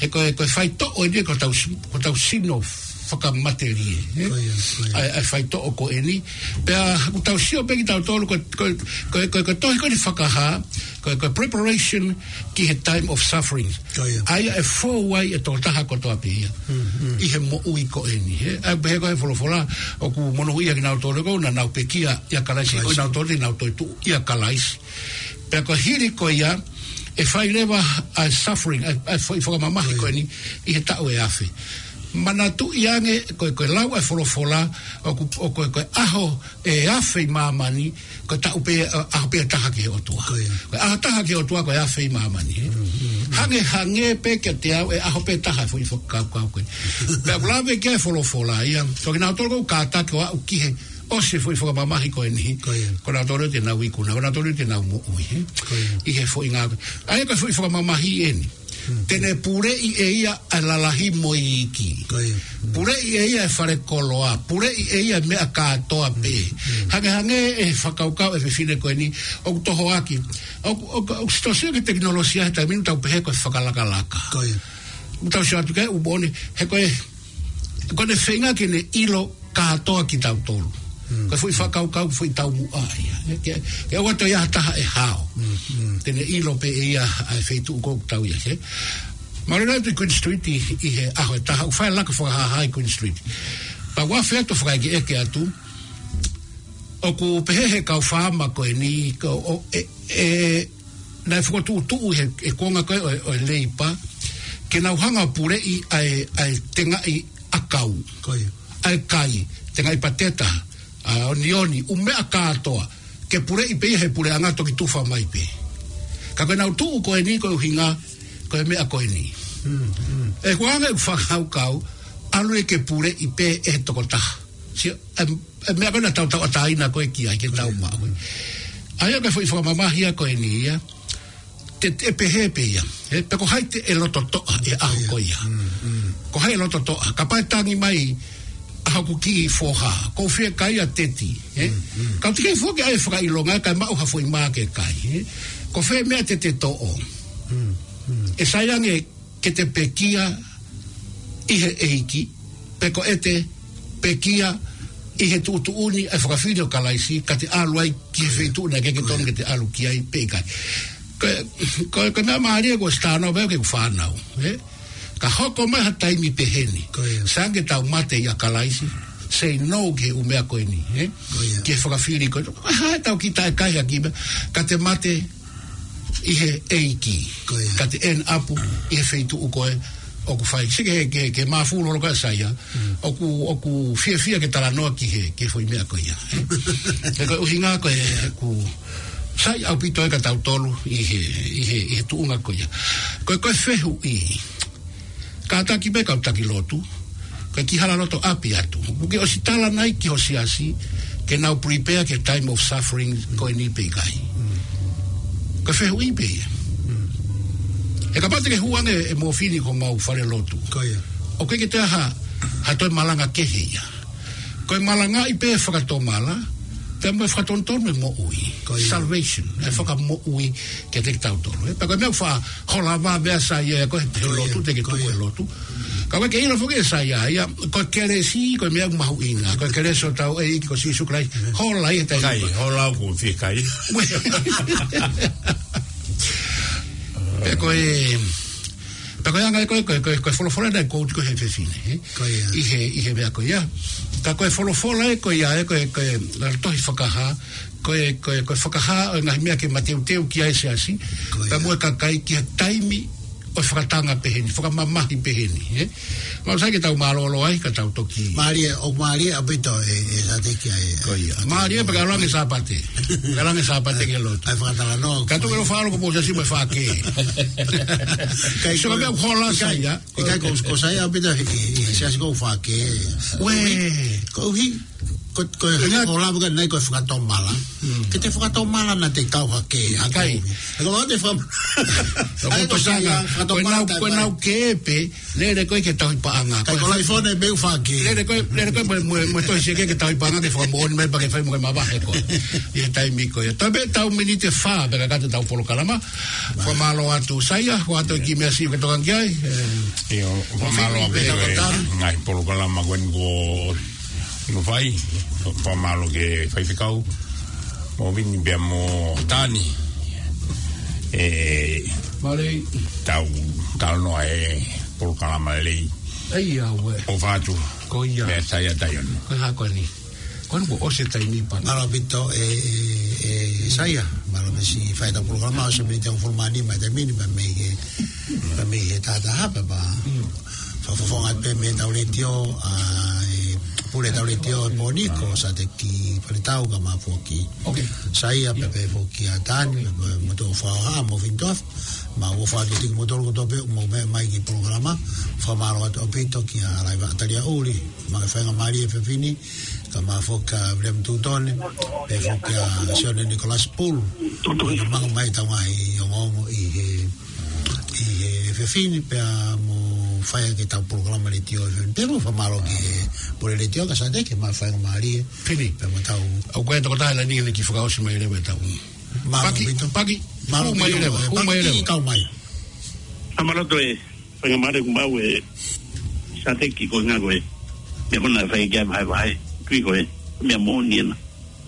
he ko e, ko e faitoʻo eni ko hotau si-, ko hotau sino fakamatelie, ē? Ko ia, ko ia. ʻA e, ʻa e faitoʻo ko eni. Pea ʻoku tau sio pē kitautolu ko, ko, ko, ko, ko e tohi ko eni Fakahā, ko, ko e preparation ki he time of suffering. Ko ia. ʻA ia ʻe fou ai e tokotaha kotoa pē ia. Mm, mm. ʻI he moʻui ko eni, ē? ʻA ia pehē ko e folofola, ʻoku monūʻia kinautolu ko ē naʻa nau pekia ʻia Kalaisi, ko Kalaisi. Kinautolu te nau toetuʻu ʻia Kalaisi. Pea ko e hili ko ia, ʻe fai leva ʻa e suffering, ʻa e, ʻa e foʻi fakamamahi ko eni, ʻi he taʻu ʻe afe. Manatuʻi ange, ko e, ko e lau ʻa e folofola, ʻoku, ʻo ko e, ko e ʻaho ʻe afe ʻi māmani, ko e taʻu pē, ʻa, ʻaho pē ʻe taha ki he ʻOtua. Ko ia. Ko e ʻaho ʻe taha ki he ʻOtua, ko e afe ʻi māmani, ē? Mm, mm, mm. Hangehangē pē kiate au e ʻaho pē ʻe taha foʻi fakakaukau ko ē. Pea ʻoku lave ki ai e folofola ia, ko kinautolu ʻoku kātaki ʻo aʻu ki he ʻosi e foʻi fakamamahi ko eni. Ko ia. Ko kinautolu te nau ikuna, ko kinautolu te nau moʻui, ē? Ko ia. ʻI he foʻi ngāue. ʻA ia ko e foʻi fakamamahi eni. Mm. Te ne puleʻi ʻe ia ʻa e lalahi mo e iiki. Ko ia. Mm. Puleʻi ʻe ia e fale koloa. Puleʻi ʻe ia e meʻa kātoa pē. Mm. Mm. Hangehangē e fakakaukau ʻa e fefine ko eni, ʻoku tohoaki. ʻOku, ʻoku, ʻoku sitosia ki he tekinolosia he taimi ni tau pehē ko e fakalakalaka. Ko ia. ʻOku tau sio atu ki ai ʻū moʻoni, he ko e, ko ʻene feinga ke ne ʻilo kātoa kitautolu. Mm. Ko e foʻi fakakaukau, foʻi taumuʻa ia. Ke, ke ʻoua toe ʻi ai ha taha ʻe hao. Mm, mm. Te ne ʻilo pē ʻe ia ʻa e feituʻu ko ē ʻoku tau ʻi ai, ē. Mālō atu ʻi Queen Street ʻi, ʻi he ʻaho ʻe taha, ʻoku fai e laka fakahāhā ʻi Queen Street. Pea ʻoku afe atu fakaʻekeʻeke atu, ʻoku pehē he kau faama ko eni, ko, ʻo, ʻe, ʻe, naʻe fokotuʻutuʻu he, he kuonga ko ē ʻo, ʻo e Leipa, ke nau hanga ʻo puleʻi ʻa e, ʻa e tengaʻi ʻakau. Ko ia. ʻA e kai, tengaʻi pateta, ʻa, onioni, ʻū meʻa kātoa, ke puleʻi pē ia he puleʻanga toki tufa mai pē. Ka ko ʻenau tuʻu ko eni ko e ʻuhinga, ko e meʻa ko eni. Mm, mm. ʻE ko e anga ʻeku fakakaukau, ʻalu ia ke puleʻi pē ʻe he tokotaha. Sio, ʻe, ʻe meʻa ko ē naʻa tau tauʻatāina ko ē ki ai, ke tau maʻu. ʻA ia ko e foʻi fakamamahi ia ko eni ia. Te, te pehē pē ia. Ē, pe ko hai te ʻe loto toʻa he ʻaho ko ia. Mm, mm. Ko hai ʻe loto toʻa. Kapau ʻe tangi mai ʻa hoku kiʻi foha. Ko e fiekaia teti. Ē? Mm, mm. Ka ʻoku teʻeki ai foki ʻai fakaʻilonga kae maʻu ha foʻi mā ke kai. Ē? Ko fē meʻa te te toʻo. Mm, mm. ʻE sai ange ke te pekia ʻi he ʻEiki, pe ko ʻete pekia ʻi he tuʻutuʻuni ʻa e fakafili ʻo Kalaisi, ka te ʻalu ai ki he feituʻu naʻe ʻikai ke tonu ke te ʻalu ki ai pe ʻikai. Ko, ko, ko e meʻa mālie ko e stāno pē ke fānau, ē? Ka hoko mai ha taimi peheni. Ko ia. Sai ange ke tau mate ʻia Kalaisi, say no ki he ʻū meʻa ko eni, ē? Ko ia. Ki he fakafili ko ē. ʻAi, tau kiʻi taʻe kai ha kiʻi meʻa, ka te mate ʻi he ʻEiki. Ko ia. Ka te end up ʻi he feituʻu ko ē ʻoku fai. Sike he, ke, ke māfulu holo ka sai ia. Mm. ʻOku, ʻoku fiefia ke talanoa ki he, ki he foʻi meʻa ko ia. He ko e ʻuhinga ko ē ʻoku sai ʻaupito ʻa kitautolu ʻi he, ʻi he, ʻi he tuʻunga ko ia. Ko e, ko e fehuʻi. Kātaki pē kau taki lotu, ko e kiʻi hala loto ʻapi atu. ʻOku ke ʻosi tala nai ki ho siasi, ke nau prepare ki he time of suffering ko eni pe ʻikai. Mm. Ko e fehuʻi pē ia. Mm. He kapau te ke hū ange ʻe Mōfini ki homau fale lotu. Ko ia. ʻOku ʻikai ke toe ha, ha toe malanga kehe ia. Ko e malangaʻi pē fakatomala, pea mo e fakatonutonu e moʻui. Ko ia. Salvation, ʻa e fakamoʻui kiate kitautolu. Ē, pea ko e meʻa ʻoku faʻa hola vave ʻa Saia ia ko e he lotu te ke tuku e lotu. Ka ʻoku ʻikai ke ʻilo foki ʻe Saia ia, ko e kelesi, ko e meʻa mahuʻinga. Ko e kelesi ʻo hotau ʻEiki ko Sīsū Kalaisi. Hola ia tai. Kai, hola ʻoku fie kai. Pea ko e, pea ko e anga ko e, ko e, ko e, ko e folofola naʻe quote ko ē he fefine, ē? Ko ia. ʻI he, ʻi he meʻa ko ia. Ka ko e folofola ē ko ia, ē, ko e, ko e, ʻa e tohi Fakahā, ko e, ko e, ko e fakahā ʻo e ngaahi meʻa ke mateuteu ki ai e siasi. Ko ia. Pea mo e kakai ki he taimi ʻo e fakatanga pehē ni, fakamamahi pehē ni, ē? Mau sai ke tau mālōlō ai, ka tau toki. Mālie, ʻoku mālie ʻaupito e, e Sateki ai, ē. Ko ia. Mālie pea ke ʻalu ange Sāpate. Ke ʻalu ange Sāpate ke lotu. ʻAi fakatalanoa. Ka tuku e ʻofa ʻalu ko mou siasi mo e fake. Kai so ko ka meʻa hola ʻikai, sai, ʻikai ko, ko sai ʻaupito he, he, he siasi ko fake. Uē. Ko uhi. Ko, ko e, ko e lava ka nai ko e fakatomala. Ke te fakatomala naʻa te kau hake, hake. ʻIkai. He ko te fam-, ʻai ko sanga, ko e fakatomala nau, ko e nau ke pe, lele ko e ke tauhi paʻanga. Kai ko laifone be u fake. Lele ko e, lele ko e mo, mo, mo tohi seke ke tauhi paʻanga ke fakamoʻoni mai pea ke fai mo ke mavahe ko. ʻI he taimi ko ia. Tabe tau miniti fā, pea ka kata tau polokalama. Fakamālō atu Saia, ko atu ki meʻa siʻi ke tokangi ai. ʻIo, fakamālō atu e ngaahi polokalama ko eni ko ʻIo fai, fakamālō ki he faifekau, mo Vini pea mo Tani. ʻE, tau, tau noa e polokalama lelei. ʻAi, ʻofa atu. Ko ia. Meʻa Saia Taione. Ko e hā ko eni. Ko eni kuo ʻosi e taimi pea. Mālō ʻaupito e, e, e Saia. Mālō meʻa siʻi fai ʻetau polokalama, ʻosi e miniti ʻe hongofulu mā nima e taimi ni, pea mei he, pea mei he taha taha pea. Fakafofonga pē mei heʻetau letiō, ʻa e pule ʻetau letiō he pō ni ko Sateki Faletau kae ʻumaʻā foki. Saia pea pehē foki ʻa Tani, mo, mo Tofaoha, mo Fintof, mo ʻofa atu kiate kimoutolu kotoa pē, mou meʻa mai ki he polokalama, fakamālō atu ʻaupito kia Laiva Talia Uli, mo e faingamālie e fefine, kae ʻumaʻā foki ʻa William Tutone, pehē foki ʻa Sione Nicholas Poole, ʻi he manga mai ʻetau ngaahi ongoongo ʻi he ʻi he fefine pea mo fai ʻaki ʻetau polokalama letiō e fefine. Pea mo fakamālō ki he pule letiō ka Sateki mo e faingamālie. Pini. Pea mo tau. ʻOku ʻi ai e tokotaha ʻi langi ʻoku ne kiʻi fakaʻosi mai leva ʻetau. Mālō ʻaupito. Paki, paki. Mālō ʻaupito. Hū mai leva, hū mai leva. Paki, kau mai. Mālō ʻaupito e faingamālie kuo maʻu ʻe Sateki ko e ngaahi ko e. Meʻa ko ena fai ki ai vahevahe. Tui ko e. Meʻa moʻoni ena.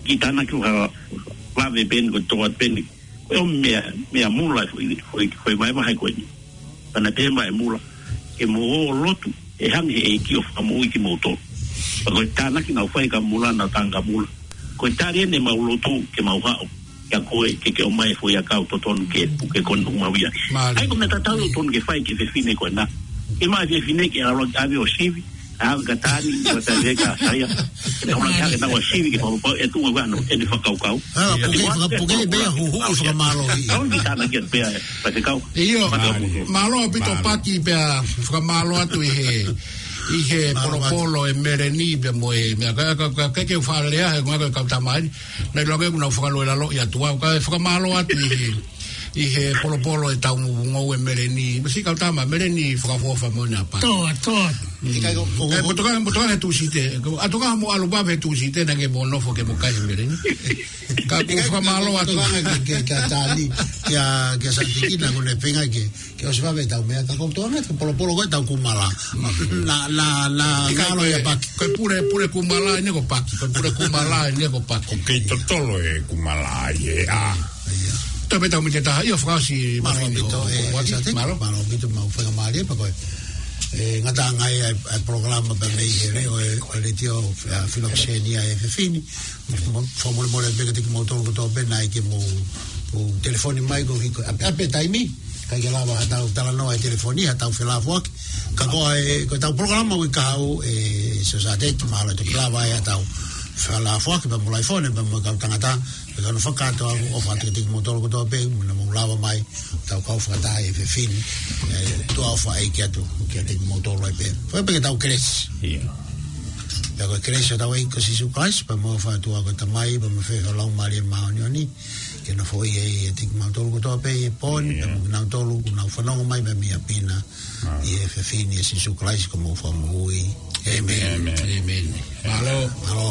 Kiʻi tānaki ʻo ha vave pē eni ko e toʻa pē eni. Ko e meʻa, meʻa mula foʻi, foʻi, foʻi vahevahe ko eni. Pea naʻe pehē mai e mula, ke mou ō ʻo lotu, ʻe hanga ʻe he ʻEiki ʻo fakamoʻui kimoutolu. Pea ko e tānaki naʻa ku fai kia mula, naʻa ku tala kia mula. Ko e tali eni ʻemau lotu, ke mau haʻu, kia koe, ke ke ʻomai e foʻi ʻakau totonu ke puke ko eni ʻoku mau ʻi ai. Mālie. ʻAi ko e meʻa tatau ʻoku totonu ke fai ki he fefine ko ena. ʻIkai ke fai e fefine ke ʻalu ʻo ʻave ʻo sivi, ʻave kia Tani, ʻo ʻave kia Saia. Ke tau langa hake ʻetau sivi ke fakapapauʻi ʻe tuʻu ʻa e ʻuhinga ʻo ʻene fakakaukau. Ā, puke, puke, puke, pea huhuʻi fakamālō. Tau ki tānaki pē, pea te kau. ʻIo, mālō ʻaupito Paki pea fakamālō atu ʻi he, ʻi he polopolo ʻe Meleni pea mo e, meʻa ka, ka, ka, ke ke fale a, he ngā ka kau tamai. Naʻe ʻiloange kuo nau fakalōloa ʻi atu au, kae fakamālō atu ʻi he, ʻi he polopolo ʻetau ngoue Meleni. Masi kau tama Meleni fakaʻofoʻofa mo ʻene ʻapi. Toa, toa. ʻIkai ko, ko, ko, ko, toka, toka he Tūsite. Ko, ʻa toka mo ʻalu pē he Tūsite, naʻa ke mo nofo ke mo kai he Meleni. Ka ʻoku fakamālō atu. Toka ke, ke, ke Tani, kia, kia Sateki naʻa ku ne feinga ke, ke ʻosi vave ʻetau meʻa, ka ko toka ke polopolo ko ʻetau kumala. Na, na, na, ʻikai ngalo ko e, ia Paki. Ko e pule, pule kumala ʻeni ko Paki. Ko e pule kumala ʻeni ko Paki. ʻOku kei totolo e kumala ʻi he ʻā. ʻIo. Tau pē tau mite taha, ʻio fakaʻosi. Mālō ʻaupito e, e Sateki, mālō. Mālō ʻaupito mo e faingamālie pea ko e. ʻE ngataʻanga ai e, e polokalama pea mei he leʻo e, ʻo e letiō, ʻa, Filokisenia e fefine. Mo, mo, fakamolemole pē kiate kimoutolu kotoa pē naʻe ʻikai ke mou, mou telefoni mai ko hiko. ʻApe, ʻape taimi. ʻIkai ke lava haʻatau talanoa he telefoni, haʻatau felāfoaki. Ka ko e, ko ʻetau polokalama ʻoku ʻi ai ʻa e, Sosaieti, mahalo ʻe toki lava ai haʻatau felāfoaki, pea mo laifone, pea mo e kau tangata, pea kau fakakātoa, ʻofa atu kiate kimoutolu kotoa pē, mo na mou lava mai, tau kau fakataha e fefine, ʻe, tuʻa ʻofa ʻa e ʻEiki atu, kiate kimoutolu ai pē. Fai pē ke tau kelesi. ʻIo. Pea ko e kelesi ʻa hotau ʻEiki ko Sīsū Kalaisi, pea mo e ʻofa ʻa e ʻOtua ko e Tamai, pea mo e feohi ʻa e Laumālie Māʻoniʻoni, ke nofoʻia ʻiate kimautolu kotoa pē ʻi he pō ni, pea mo kinautolu ʻoku nau fanongo mai mei ʻapi na, ʻi he efiafi ni ʻia Sīsū Kalaisi ko homau Fakamoʻui. ʻĒmeni. ʻĒmeni. Mālō. Mālō.